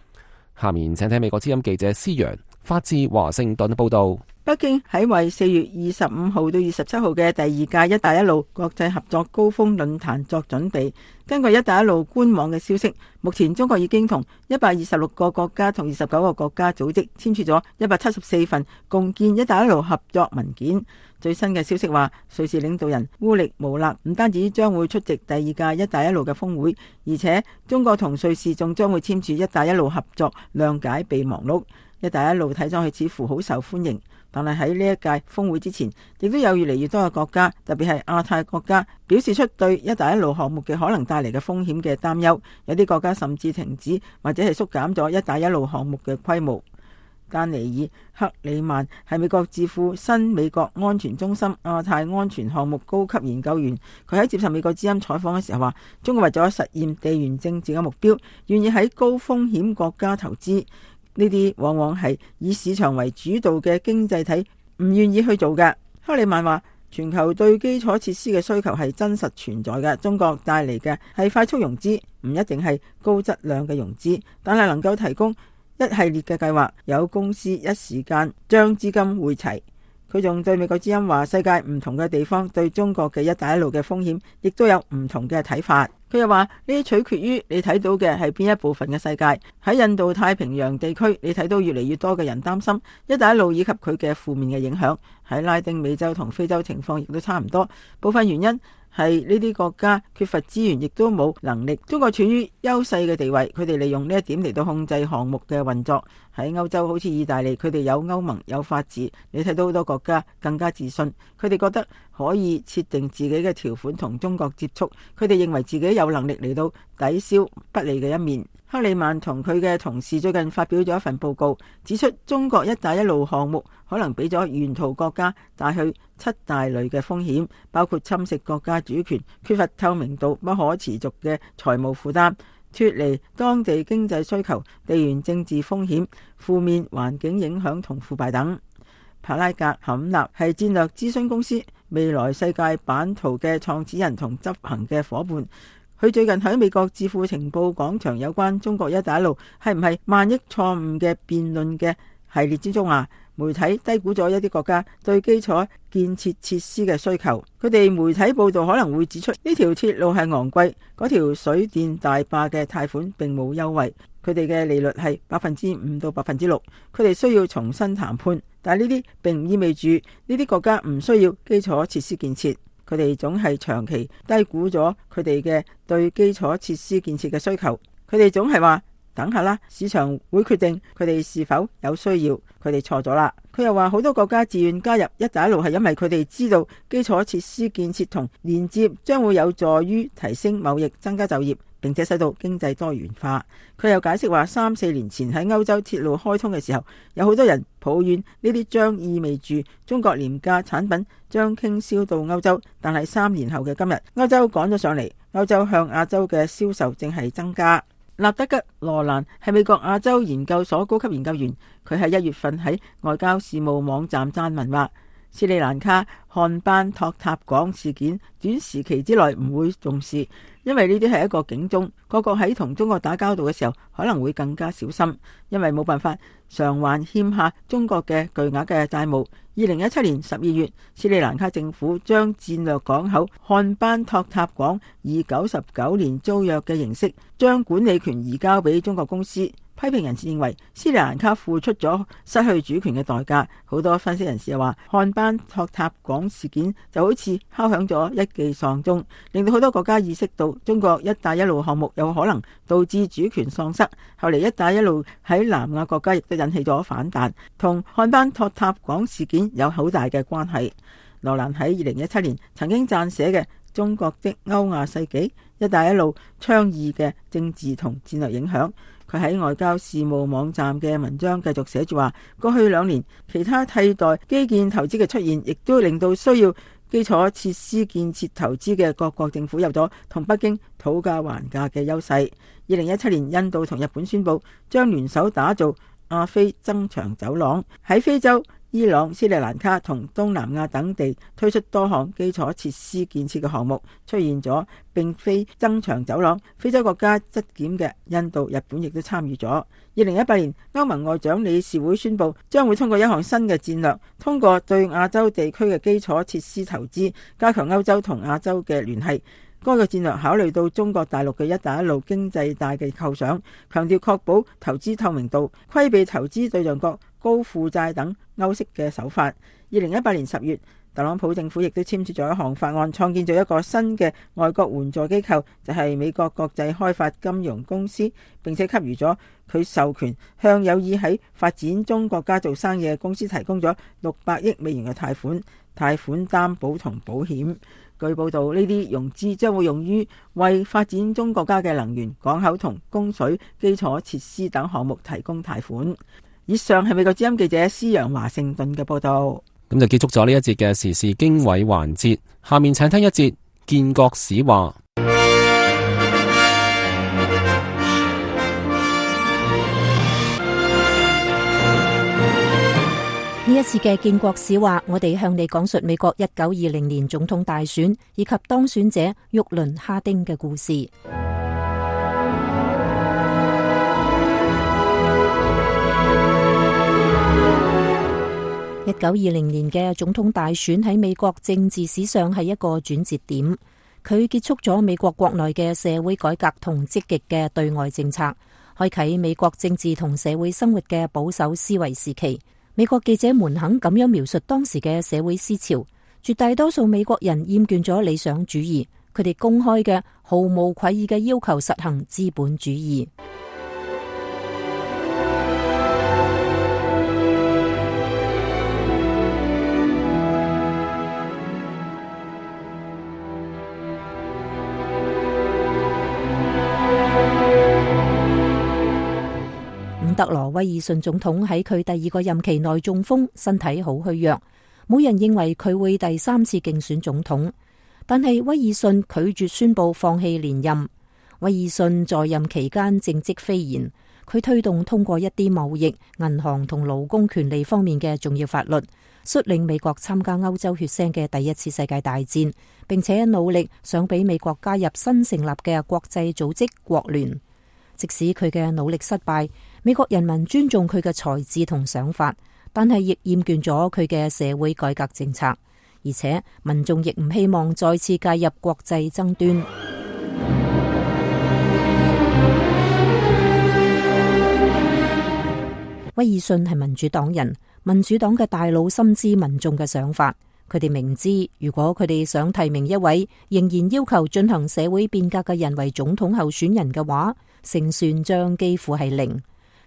下面請聽美國之音記者施陽發自華盛頓報道。北京喺為4月25號到27號嘅第2屆一帶一路國際合作高峰論壇作準備。根據一帶一路官網嘅消息，目前中國已經同126個國家同29個國家組織簽署咗174份共建一帶一路合作文件。最新嘅消息話，瑞士領導人烏力無勒唔單止將會出席第2屆一帶一路嘅峰會，而且中國同瑞士仲將會簽署一帶一路合作諒解備忘錄。一帶一路睇上去似乎好受歡迎，但係喺呢一屆峰會之前，亦都有越嚟越多嘅國家，特別係亞太國家，表示出對一帶一路項目嘅可能帶嚟嘅風險嘅擔憂。有啲國家甚至停止或者係縮減咗一帶一路項目嘅規模。丹尼爾·克里曼係美國智庫新美國安全中心亞太安全項目高級研究員，佢喺接受美國之音採訪嘅時候話，中國為咗實現地緣政治嘅目標，願意喺高風險國家投資。呢啲往往係以市場為主導嘅經濟體唔願意去做嘅。克里曼話，全球對基礎設施嘅需求係真實存在嘅，中國帶嚟嘅係快速融資，唔一定係高質量嘅融資，但係能夠提供一系列嘅計劃，有公司一時間將資金匯齊。佢仲對美國之音話，世界唔同嘅地方對中國嘅一帶一路嘅風險亦都有唔同嘅睇法。佢又話，呢啲取決於你睇到嘅係邊一部分嘅世界。喺印度太平洋地區，你睇到越嚟越多嘅人擔心一帶一路以及佢嘅負面嘅影響。喺拉丁美洲同非洲情況亦都差唔多，部分原因係呢啲國家缺乏資源，亦都冇能力。中國處於優勢嘅地位，佢哋利用呢一點嚟到控制項目嘅運作。喺歐洲好似意大利，佢哋有歐盟，有法治，你睇到好多國家更加自信，佢哋覺得可以設定自己嘅條款同中國接觸，佢哋認為自己有能力嚟到抵消不利嘅一面。克里曼同佢嘅同事最近發表咗一份報告，指出中國一帶一路項目可能俾咗沿途國家帶去7大類嘅風險，包括侵蝕國家主權、缺乏透明度、不可持續嘅財務負擔、脫離當地經濟需求、地緣政治風險、負面環境影響同腐敗等。帕拉格坎納係戰略諮詢公司未來世界版圖嘅創始人同執行嘅夥伴。佢最近喺美國智庫情報廣場有關中國一帶一路係唔係萬億錯誤嘅辯論嘅系列之中啊，媒體低估咗一啲國家對基礎建設設施嘅需求。佢哋媒體報道可能會指出，呢條鐵路係昂貴，嗰條水電大壩嘅貸款並冇優惠，佢哋嘅利率係5%到6%，佢哋需要重新談判。但係呢啲並唔意味住呢啲國家唔需要基礎設施建設。佢哋總係長期低估咗佢哋嘅對基礎設施建設嘅需求。佢哋總係話等下啦，市場會決定佢哋是否有需要。佢哋錯咗啦。佢又話好多國家自願加入一帶一路係因為佢哋知道基礎設施建設同連接將會有助於提升貿易、增加就業，並且使到經濟多元化。佢又解釋話3-4年前喺歐洲鐵路開通嘅時候，有好多人抱怨呢啲將意味住中國廉價產品將傾銷到歐洲，但係3年後嘅今日，歐洲趕咗上嚟，歐洲向亞洲嘅銷售正係增加。納德吉·羅蘭係美國亞洲研究所高級研究員，佢喺1月份喺外交事務網站撰文話，斯里蘭卡漢班托塔港事件短時期之內唔會重視，因為呢啲係一個警鐘，各國喺同中國打交道嘅時候可能會更加小心，因為冇辦法償還欠下中國嘅巨額嘅債務。2017年12月，斯里蘭卡政府將戰略港口漢班托塔港以99年租約嘅形式將管理權移交俾中國公司。批評人士認為斯里蘭卡付出咗失去主權嘅代價。好多分析人士又話，漢班托塔港事件就好似敲響咗一記喪鐘，令到好多國家意識到中國一帶一路項目有可能導致主權喪失。後嚟一帶一路喺南亞國家亦都引起咗反彈，同漢班托塔港事件有好大嘅關係。羅蘭喺2017年曾經撰寫嘅《中國的歐亞世紀：一帶一路倡議嘅政治同戰略影響》，佢喺外交事務網站嘅文章繼續寫住話，過去2年其他替代基建投資嘅出現，亦都令到需要基礎設施建設投資嘅各國政府有咗同北京討價還價嘅優勢。2017年，印度同日本宣布將聯手打造亞非增長走廊，喺非洲、伊朗、斯里蘭卡同東南亞等地推出多項基礎設施建設嘅項目，出現咗並非增長走廊非洲國家質檢嘅印度、日本亦都參與咗。2018年，歐盟外長理事會宣布將會通過一項新嘅戰略，通過對亞洲地區嘅基礎設施投資，加強歐洲同亞洲嘅聯繫。該個戰略考慮到中國大陸嘅一帶一路經濟帶嘅構想，強調確保投資透明度、規避投資對象國高負債等歐式嘅手法。2018年10月，特朗普政府亦都簽署咗一項法案，創建咗一個新嘅外國援助機構，就係美國國際開發金融公司，並且給予咗佢授權向有意喺發展中國家做生意嘅公司提供咗600億美元嘅貸款擔保同保險。據報道，呢啲融資將會用於為發展中國家嘅能源、港口同供水基礎設施等項目提供貸款。以上係美國之音記者施陽華盛頓嘅報道。咁就結束咗呢一節嘅時事經緯環節，下面請聽一節建國史話。呢一次嘅建國史話，我哋向你講述美國1920年總統大選以及當選者沃倫·哈丁嘅故事。1920年嘅總統大選喺美國政治史上係一個轉折點，佢結束咗美國國內嘅社會改革同積極嘅對外政策，開啟美國政治同社會生活嘅保守思維時期。美國記者們肯咁樣描述當時嘅社會思潮，絕大多數美國人厭倦咗理想主義，佢哋公開嘅毫無愧意嘅要求實行資本主義。伍德羅·威爾遜總統喺佢第2個任期內中風，身體好虛弱，冇人認為佢會第3次競選總統。但係威爾遜拒絕宣布放棄連任。威爾遜在任期間政績斐然，佢推動通過一啲貿易、銀行同勞工權利方面嘅重要法律，率領美國參加歐洲血腥嘅第1次世界大戰，並且努力想俾美國加入新成立嘅國際組織國聯。即使佢嘅努力失敗，美國人民尊重佢嘅才智同想法，但係亦厭倦咗佢嘅社會改革政策，而且民眾亦唔希望再次介入國際爭端。威爾遜係民主黨人，民主黨嘅大佬深知民眾嘅想法，佢哋明知如果佢哋想提名一位仍然要求進行社會變革嘅人為總統候選人嘅話，勝算將幾乎係0。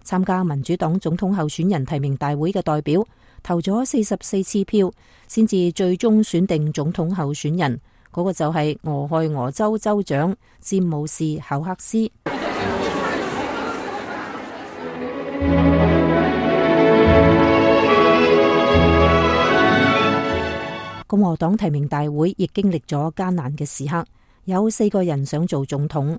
參加民主黨總統候選人提名大會嘅代表投咗44次票，先至最終選定總統候選人，嗰個就係俄亥俄州州長詹姆士·考克斯。共和黨提名大會亦經歷咗艱難嘅時刻，有4個人想做總統，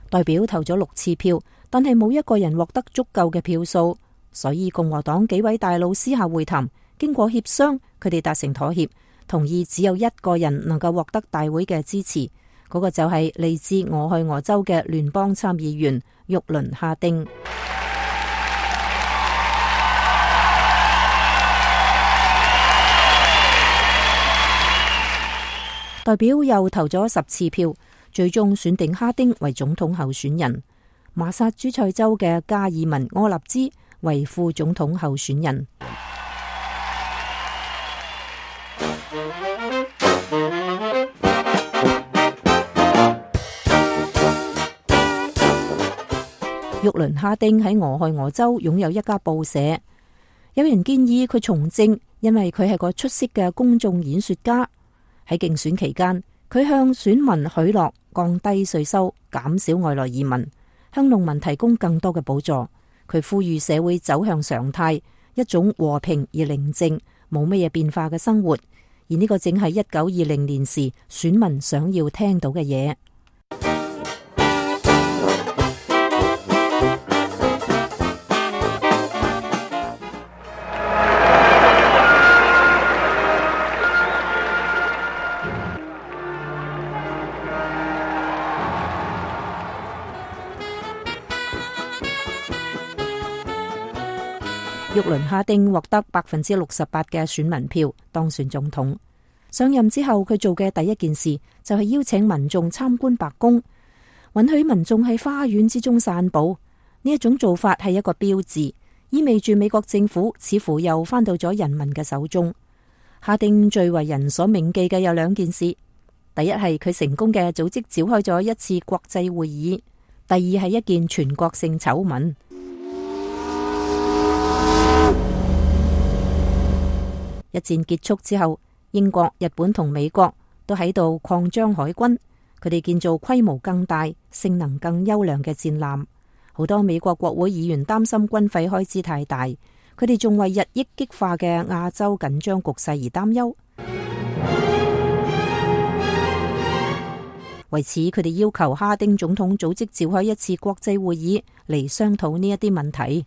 代表投咗6次票，但係冇一個人獲得足夠嘅票數，所以共和黨幾位大佬私下會談，經過協商，佢哋達成妥協，同意只有1個人能夠獲得大會嘅支持，嗰個就係嚟自俄亥俄州嘅聯邦參議員沃倫哈丁。代表又投咗10次票，最終選定哈丁為總統候選人，麻薩諸塞州嘅加爾文柯納茲為副總統候選人。沃倫哈丁喺俄亥俄州擁有一家報社，有人建議佢從政，因為佢係個出色嘅公眾演說家。喺競選期間，佢向選民許諾降低稅收、減少外來移民，向農民提供更多嘅補助。佢呼籲社會走向常態，一種和平而寧靜、冇乜嘢變化嘅生活。而呢個正係1920年時選民想要聽到嘅嘢。沃倫哈丁獲得68%嘅選民票，當選總統。上任之後，佢做嘅第一件事就係邀請民眾參觀白宮，允許民眾喺花園之中散步。呢一種做法係一個標誌，意味住美國政府似乎又返到咗人民嘅手中。哈丁最為人所銘記嘅有2件事，第一係佢成功嘅組織召開咗一次國際會議，第二係一件全國性醜聞。一戰結束之後，英國、日本同美國都喺度擴張海軍，佢哋建造規模更大、性能更優良嘅戰艦。好多美國國會議員擔心軍費開支太大，佢哋仲為日益激化嘅亞洲緊張局勢而擔憂。為此，佢哋要求哈丁總統組織召開一次國際會議嚟商討呢一啲問題。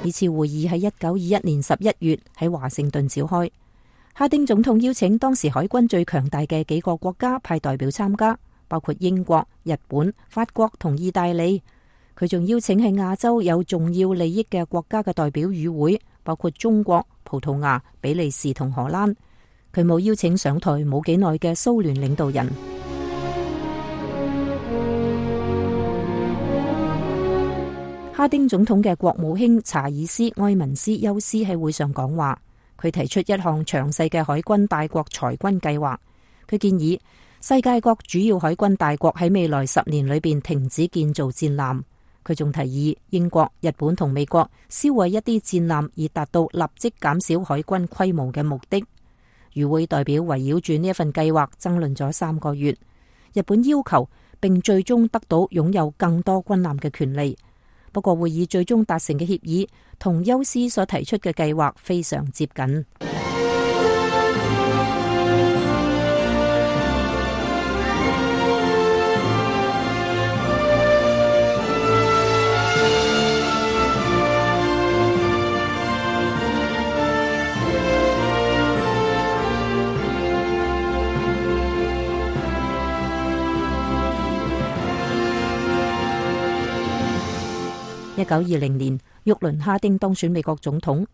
呢次會議喺1921年11月喺華盛頓召開。哈丁總統邀請當時海軍最強大嘅幾個國家派代表參加，包括英國、日本、法國同意大利。佢仲邀請喺亞洲有重要利益嘅國家嘅代表與會，包括中國、葡萄牙、比利時同荷蘭。佢冇邀請上台冇幾耐嘅蘇聯領導人。哈丁總統嘅國務卿查爾斯埃文斯休斯喺會上講話，佢提出一項詳細嘅海軍大國裁軍計劃。佢建議世界各主要海軍大國喺未來10年裏邊停止建造戰艦。佢仲提議英國、日本同美國銷毀一啲戰艦，以達到立即減少海軍規模嘅目的。與會代表圍繞住呢一份計劃爭論咗3個月。日本要求並最終得到擁有更多軍艦嘅權利。不過會議最終達成嘅協議同休斯所提出嘅計劃非常接近。1920年，沃倫哈丁當選美國總統。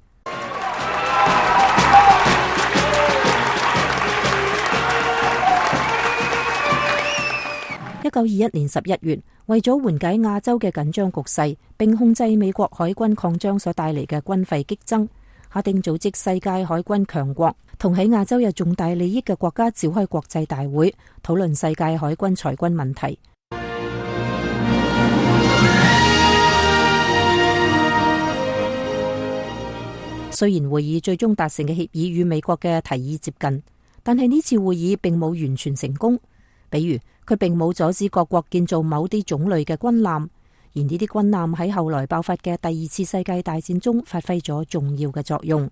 1921年11月，為咗緩解亞洲嘅緊張局勢，並控制美國海軍擴張所帶嚟嘅軍費激增，哈丁組織世界海軍強國同喺亞洲有重大利益嘅國家召開國際大會，討論世界海軍裁軍問題。雖然會議最終達成嘅協議與美國嘅提議接近，但係呢次會議並冇完全成功。比如，佢並冇阻止各國建造某啲種類嘅軍艦，而呢啲軍艦喺後來爆發嘅第2次世界大戰中發揮咗重要嘅作用。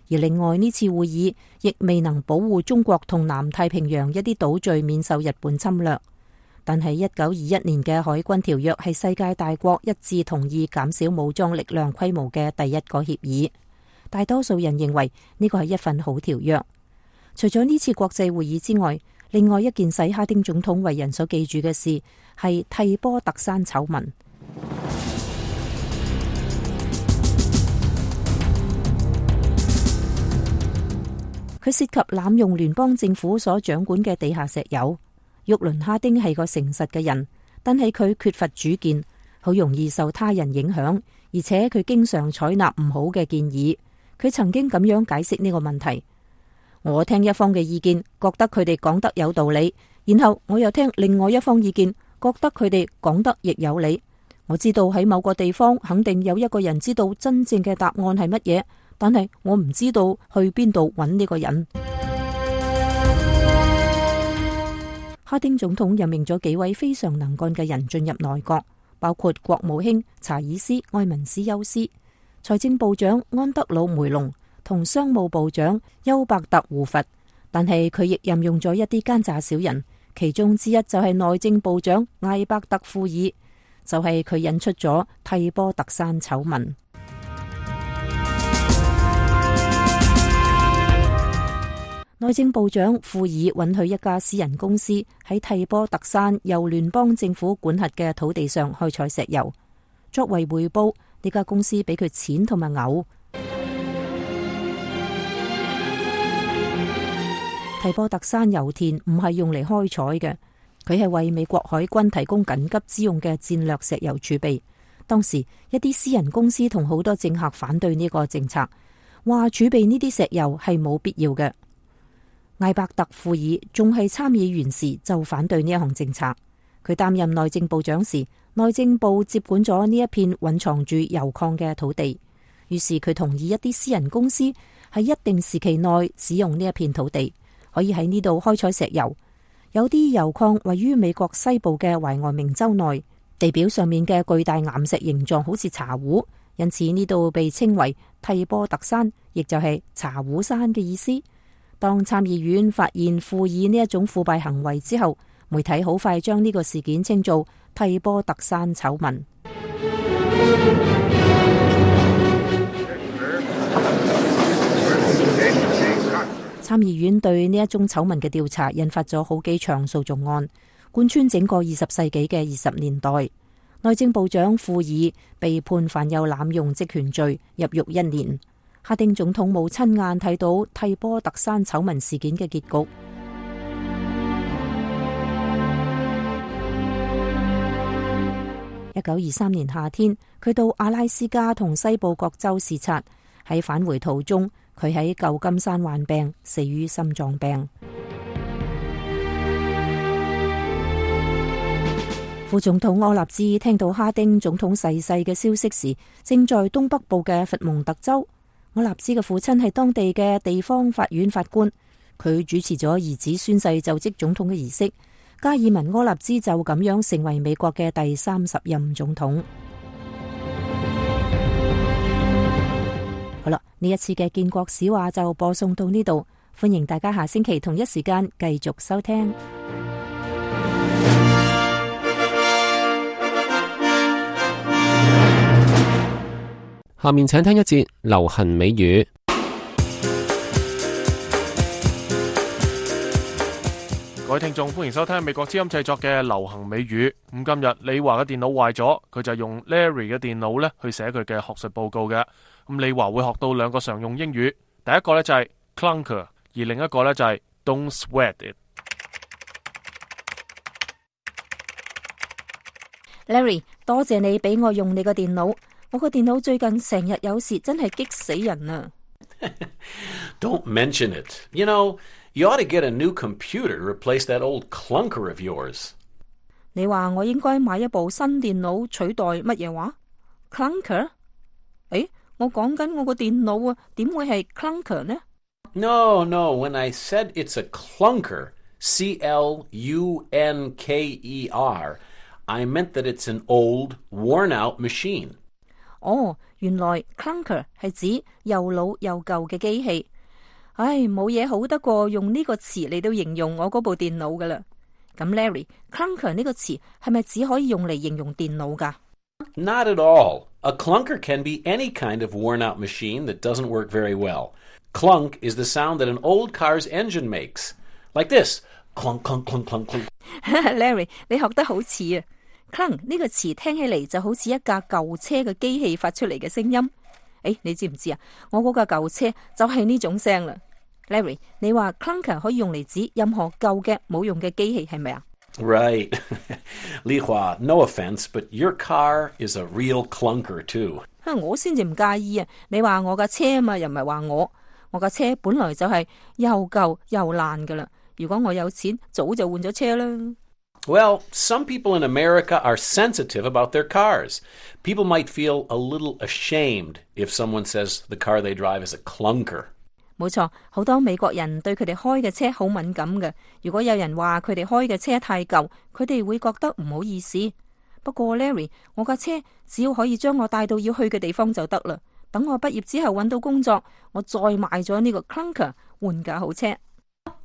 而另外，呢次會議亦未能保護中國同南太平洋一啲島嶼免受日本侵略。但係1921年嘅海軍條約係世界大國一致同意減少武裝力量規模嘅第一個協議。大多數人認為呢個係一份好條約。除咗呢次國際會議之外，另外一件使哈丁總統為人所記住嘅事係蒂波特山醜聞。佢涉及濫用聯邦政府所掌管嘅地下石油。沃倫哈丁係個誠實嘅人，但係佢缺乏主見，好容易受他人影響，而且佢經常採納唔好嘅建議。佢曾經咁樣解釋呢個問題：我聽一方嘅意見，覺得佢哋講得有道理，然後我又聽另外一方意見，覺得佢哋講得亦有理。我知道喺某個地方肯定有一個人知道真正嘅答案係乜嘢，但係我唔知道去邊度揾呢個人。哈丁總統任命咗幾位非常能幹嘅人進入內閣，包括國務卿查爾斯·埃文斯休斯、財政部長安德魯·梅隆同商務部長休伯特·胡佛。但係佢亦任用咗一啲奸詐小人，其中之一就係內政部長艾伯特·庫爾，就係佢引出咗蒂波特山醜聞。內政部長庫爾允許一家私人公司喺蒂波特山由聯邦政府管轄嘅土地上開採石油，作為回報，呢家公司俾佢錢同埋牛。蒂波特山油田唔係用嚟開採嘅，佢係為美國海軍提供緊急之用嘅戰略石油儲備。當時一啲私人公司同好多政客反對呢個政策，話儲備呢啲石油係冇必要嘅。艾伯特·庫爾仲係參議員時就反對呢一項政策。佢擔任內政部長時，內政部接管咗呢一片蘊藏住油礦嘅土地，於是佢同意一啲私人公司喺一定時期內使用呢一片土地，可以喺呢度開採石油。有啲油礦位於美國西部嘅懷俄明州內，地表上面嘅巨大岩石形狀好似茶壺，因此呢度被稱為蒂波特山，亦就係茶壺山嘅意思。當參議院發現庫爾呢一種腐敗行為之後，媒體好快將呢個事件稱做蒂波特山醜聞。參議院對呢一宗醜聞嘅調查引發咗好幾場訴訟案，貫穿整個20世紀嘅20年代。內政部長庫爾被判犯有濫用職權罪，入獄1年。哈丁總統冇親眼睇到蒂波特山醜聞事件嘅結局。1923年夏天，佢到阿拉斯加同西部各州視察，喺返回途中，佢喺舊金山患病，死於心臟病。副總統柯納茲聽到哈丁總統逝世嘅消息時，正在東北部嘅佛蒙特州。柯納茲嘅父親係當地嘅地方法院法官，佢主持咗兒子宣誓就職總統嘅儀式。加爾文柯納茲就咁樣成為美國嘅第30任總統。好啦，呢一次嘅建國史話就播送到呢度，歡迎大家下星期同一時間繼續收聽。下面請聽一節流行美語。各位聽眾，歡迎收聽美國之音製作嘅流行美語。咁今日李華嘅電腦壞咗，佢就用 Larry 嘅電腦咧去寫佢嘅學術報告嘅。咁李華會學到2個常用英語，第一個咧就係 clunker， 而另一個咧就係 don't sweat it。Larry， 多謝你俾我用你個電腦。我個電腦最近成日有事，真係激死人啊！ Don't mention it. You know, you ought to get a new computer to replace that old clunker of yours. 你話我應該買一部新電腦取代乜嘢話 ？Clunker？ 誒，我講緊我個電腦啊，點會係 clunker 呢？ No, when I said it's a clunker, C-L-U-N-K-E-R, I meant that it's an old, worn-out machine. 哦，原來 clunker 係指又老又舊嘅機器。唉，冇嘢好得過用呢個詞嚟到形容我嗰部電腦噶啦。咁 Larry，clunker 呢個詞係咪只可以用嚟形容電腦噶？ Not at all. A clunker can be any kind of worn-out machine that doesn't work very well. Clunk is the sound that an old car's engine makes. Like this. Clunk, clunk, clunk, clunk, clunk. Larry， 你學得好似啊 ！clunk 呢個詞聽起嚟就好似一架舊車嘅機器發出嚟嘅聲音。誒，你知唔知啊？我嗰架舊車就係呢種聲啦。Larry， 你話 clunker 可以用嚟指任何舊嘅冇用嘅機器係咪啊？ Right. Li Hua, no offense, but your car is a real clunker too. 我先至唔介意啊！你話我架車啊嘛，又唔係話我架車本來就係又舊又爛噶啦。如果我有錢，早就換咗車啦。Well, some people in America are sensitive about their cars. People might feel a little ashamed if someone says the car they drive is a clunker. 冇錯，好多美國人對佢哋開嘅車好敏感嘅。如果有人話佢哋開嘅車太舊，佢哋會覺得唔好意思。不過 Larry， 我架車只要可以將我帶到要去嘅地方就得啦。等我畢業之後揾到工作，我再賣咗呢個 clunker 換架好車。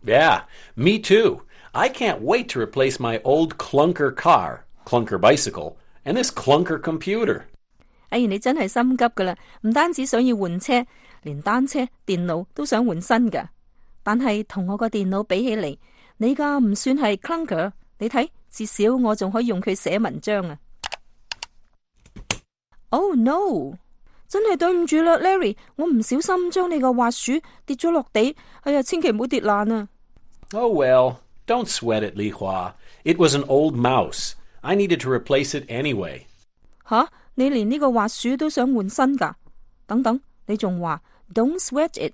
Yeah, me too. I can't wait to replace my old clunker car, clunker bicycle, and this clunker computer. 哎，你真係心急噶啦！唔單止想要換車，連單車、電腦都想換新噶。但係同我個電腦比起嚟，你架唔算係 clunker。你睇，至少我仲可以用佢寫文章啊。Oh no！ 真係對唔住啦 ，Larry， 我唔小心將你個滑鼠跌咗落地。哎呀，千祈唔好跌爛啊！ Oh well, don't sweat it, Li Hua. It was an old mouse. I needed to replace it anyway. 吓，你連呢個滑鼠都想換新噶？等等，你仲話 Don't sweat it？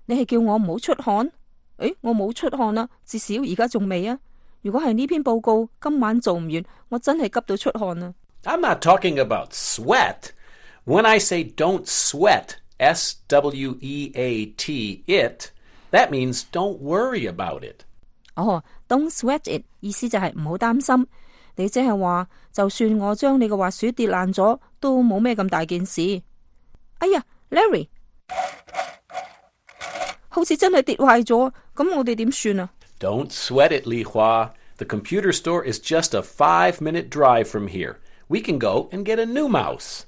你係叫我唔好出汗？誒，我冇出汗啦，至少而家仲未啊。如果係呢篇報告今晚做唔完，我真係急到出汗啊。I'm not talking about sweat. When I say don't sweat, S-W-E-A-T, it, that means don't worry about it. 哦 ，Don't sweat it 意思就係唔好擔心。你即係話，就算我將你個滑鼠跌爛咗，都冇咩咁大件事。哎呀 ，Larry， 好似真係跌壞咗，咁我哋點算啊？ Don't sweat it, Li Hua. The computer store is just a 5-minute drive from here. We can go and get a new mouse.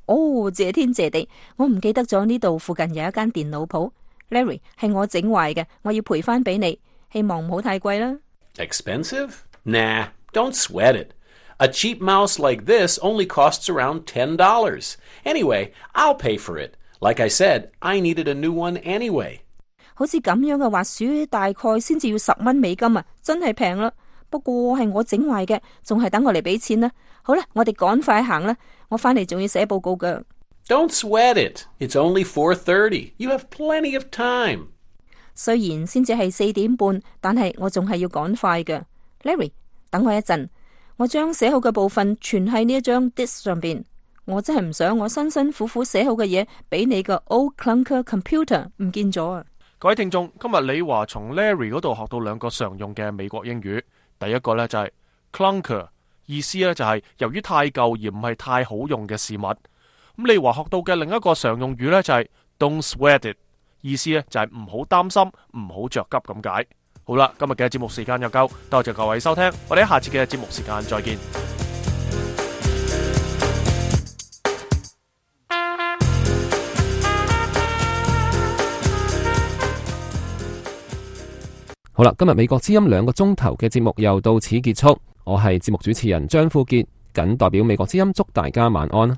哦，謝天謝地，我唔記得咗呢度附近有一間電腦鋪。Larry， 係我整壞嘅，我要賠翻俾你，希望唔好太貴啦。Expensive? Nah, don't sweat it. A cheap mouse like this only costs around $10. Anyway, I'll pay for it. Like I said, I needed a new one anyway. 好似咁樣嘅滑鼠大概先至要10蚊美金啊，真係平啦。不過係我整壞嘅，仲係等我嚟俾錢啦。好啦，我哋趕快行啦，我翻嚟仲要寫報告噶。Don't sweat it. It's only 4:30. You have plenty of time. 雖然先至係4點半，但係我仲係要趕快嘅。Larry， 等我一陣，我將寫好嘅部分存喺呢一張 disk 上邊。我真係唔想我辛辛苦苦寫好嘅嘢俾你個 old clunker computer 唔見咗啊！各位聽眾，今日李華從 Larry 嗰度學到2個常用嘅美國英語。第一個呢就係 clunker， 意思呢就係由於太舊而唔係太好用嘅事物。咁李華學到嘅另一個常用語呢就係 don't sweat it， 意思呢就係唔好擔心，唔好着急咁解。好啦，今日嘅節目時間又夠，多謝各位收聽，我哋下次嘅節目時間再見。好啦，今日美國之音2個鐘頭嘅節目又到此結束。我係節目主持人張富傑，謹代表美國之音祝大家晚安。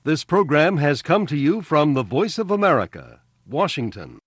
This program has come to you from the Voice of America, Washington.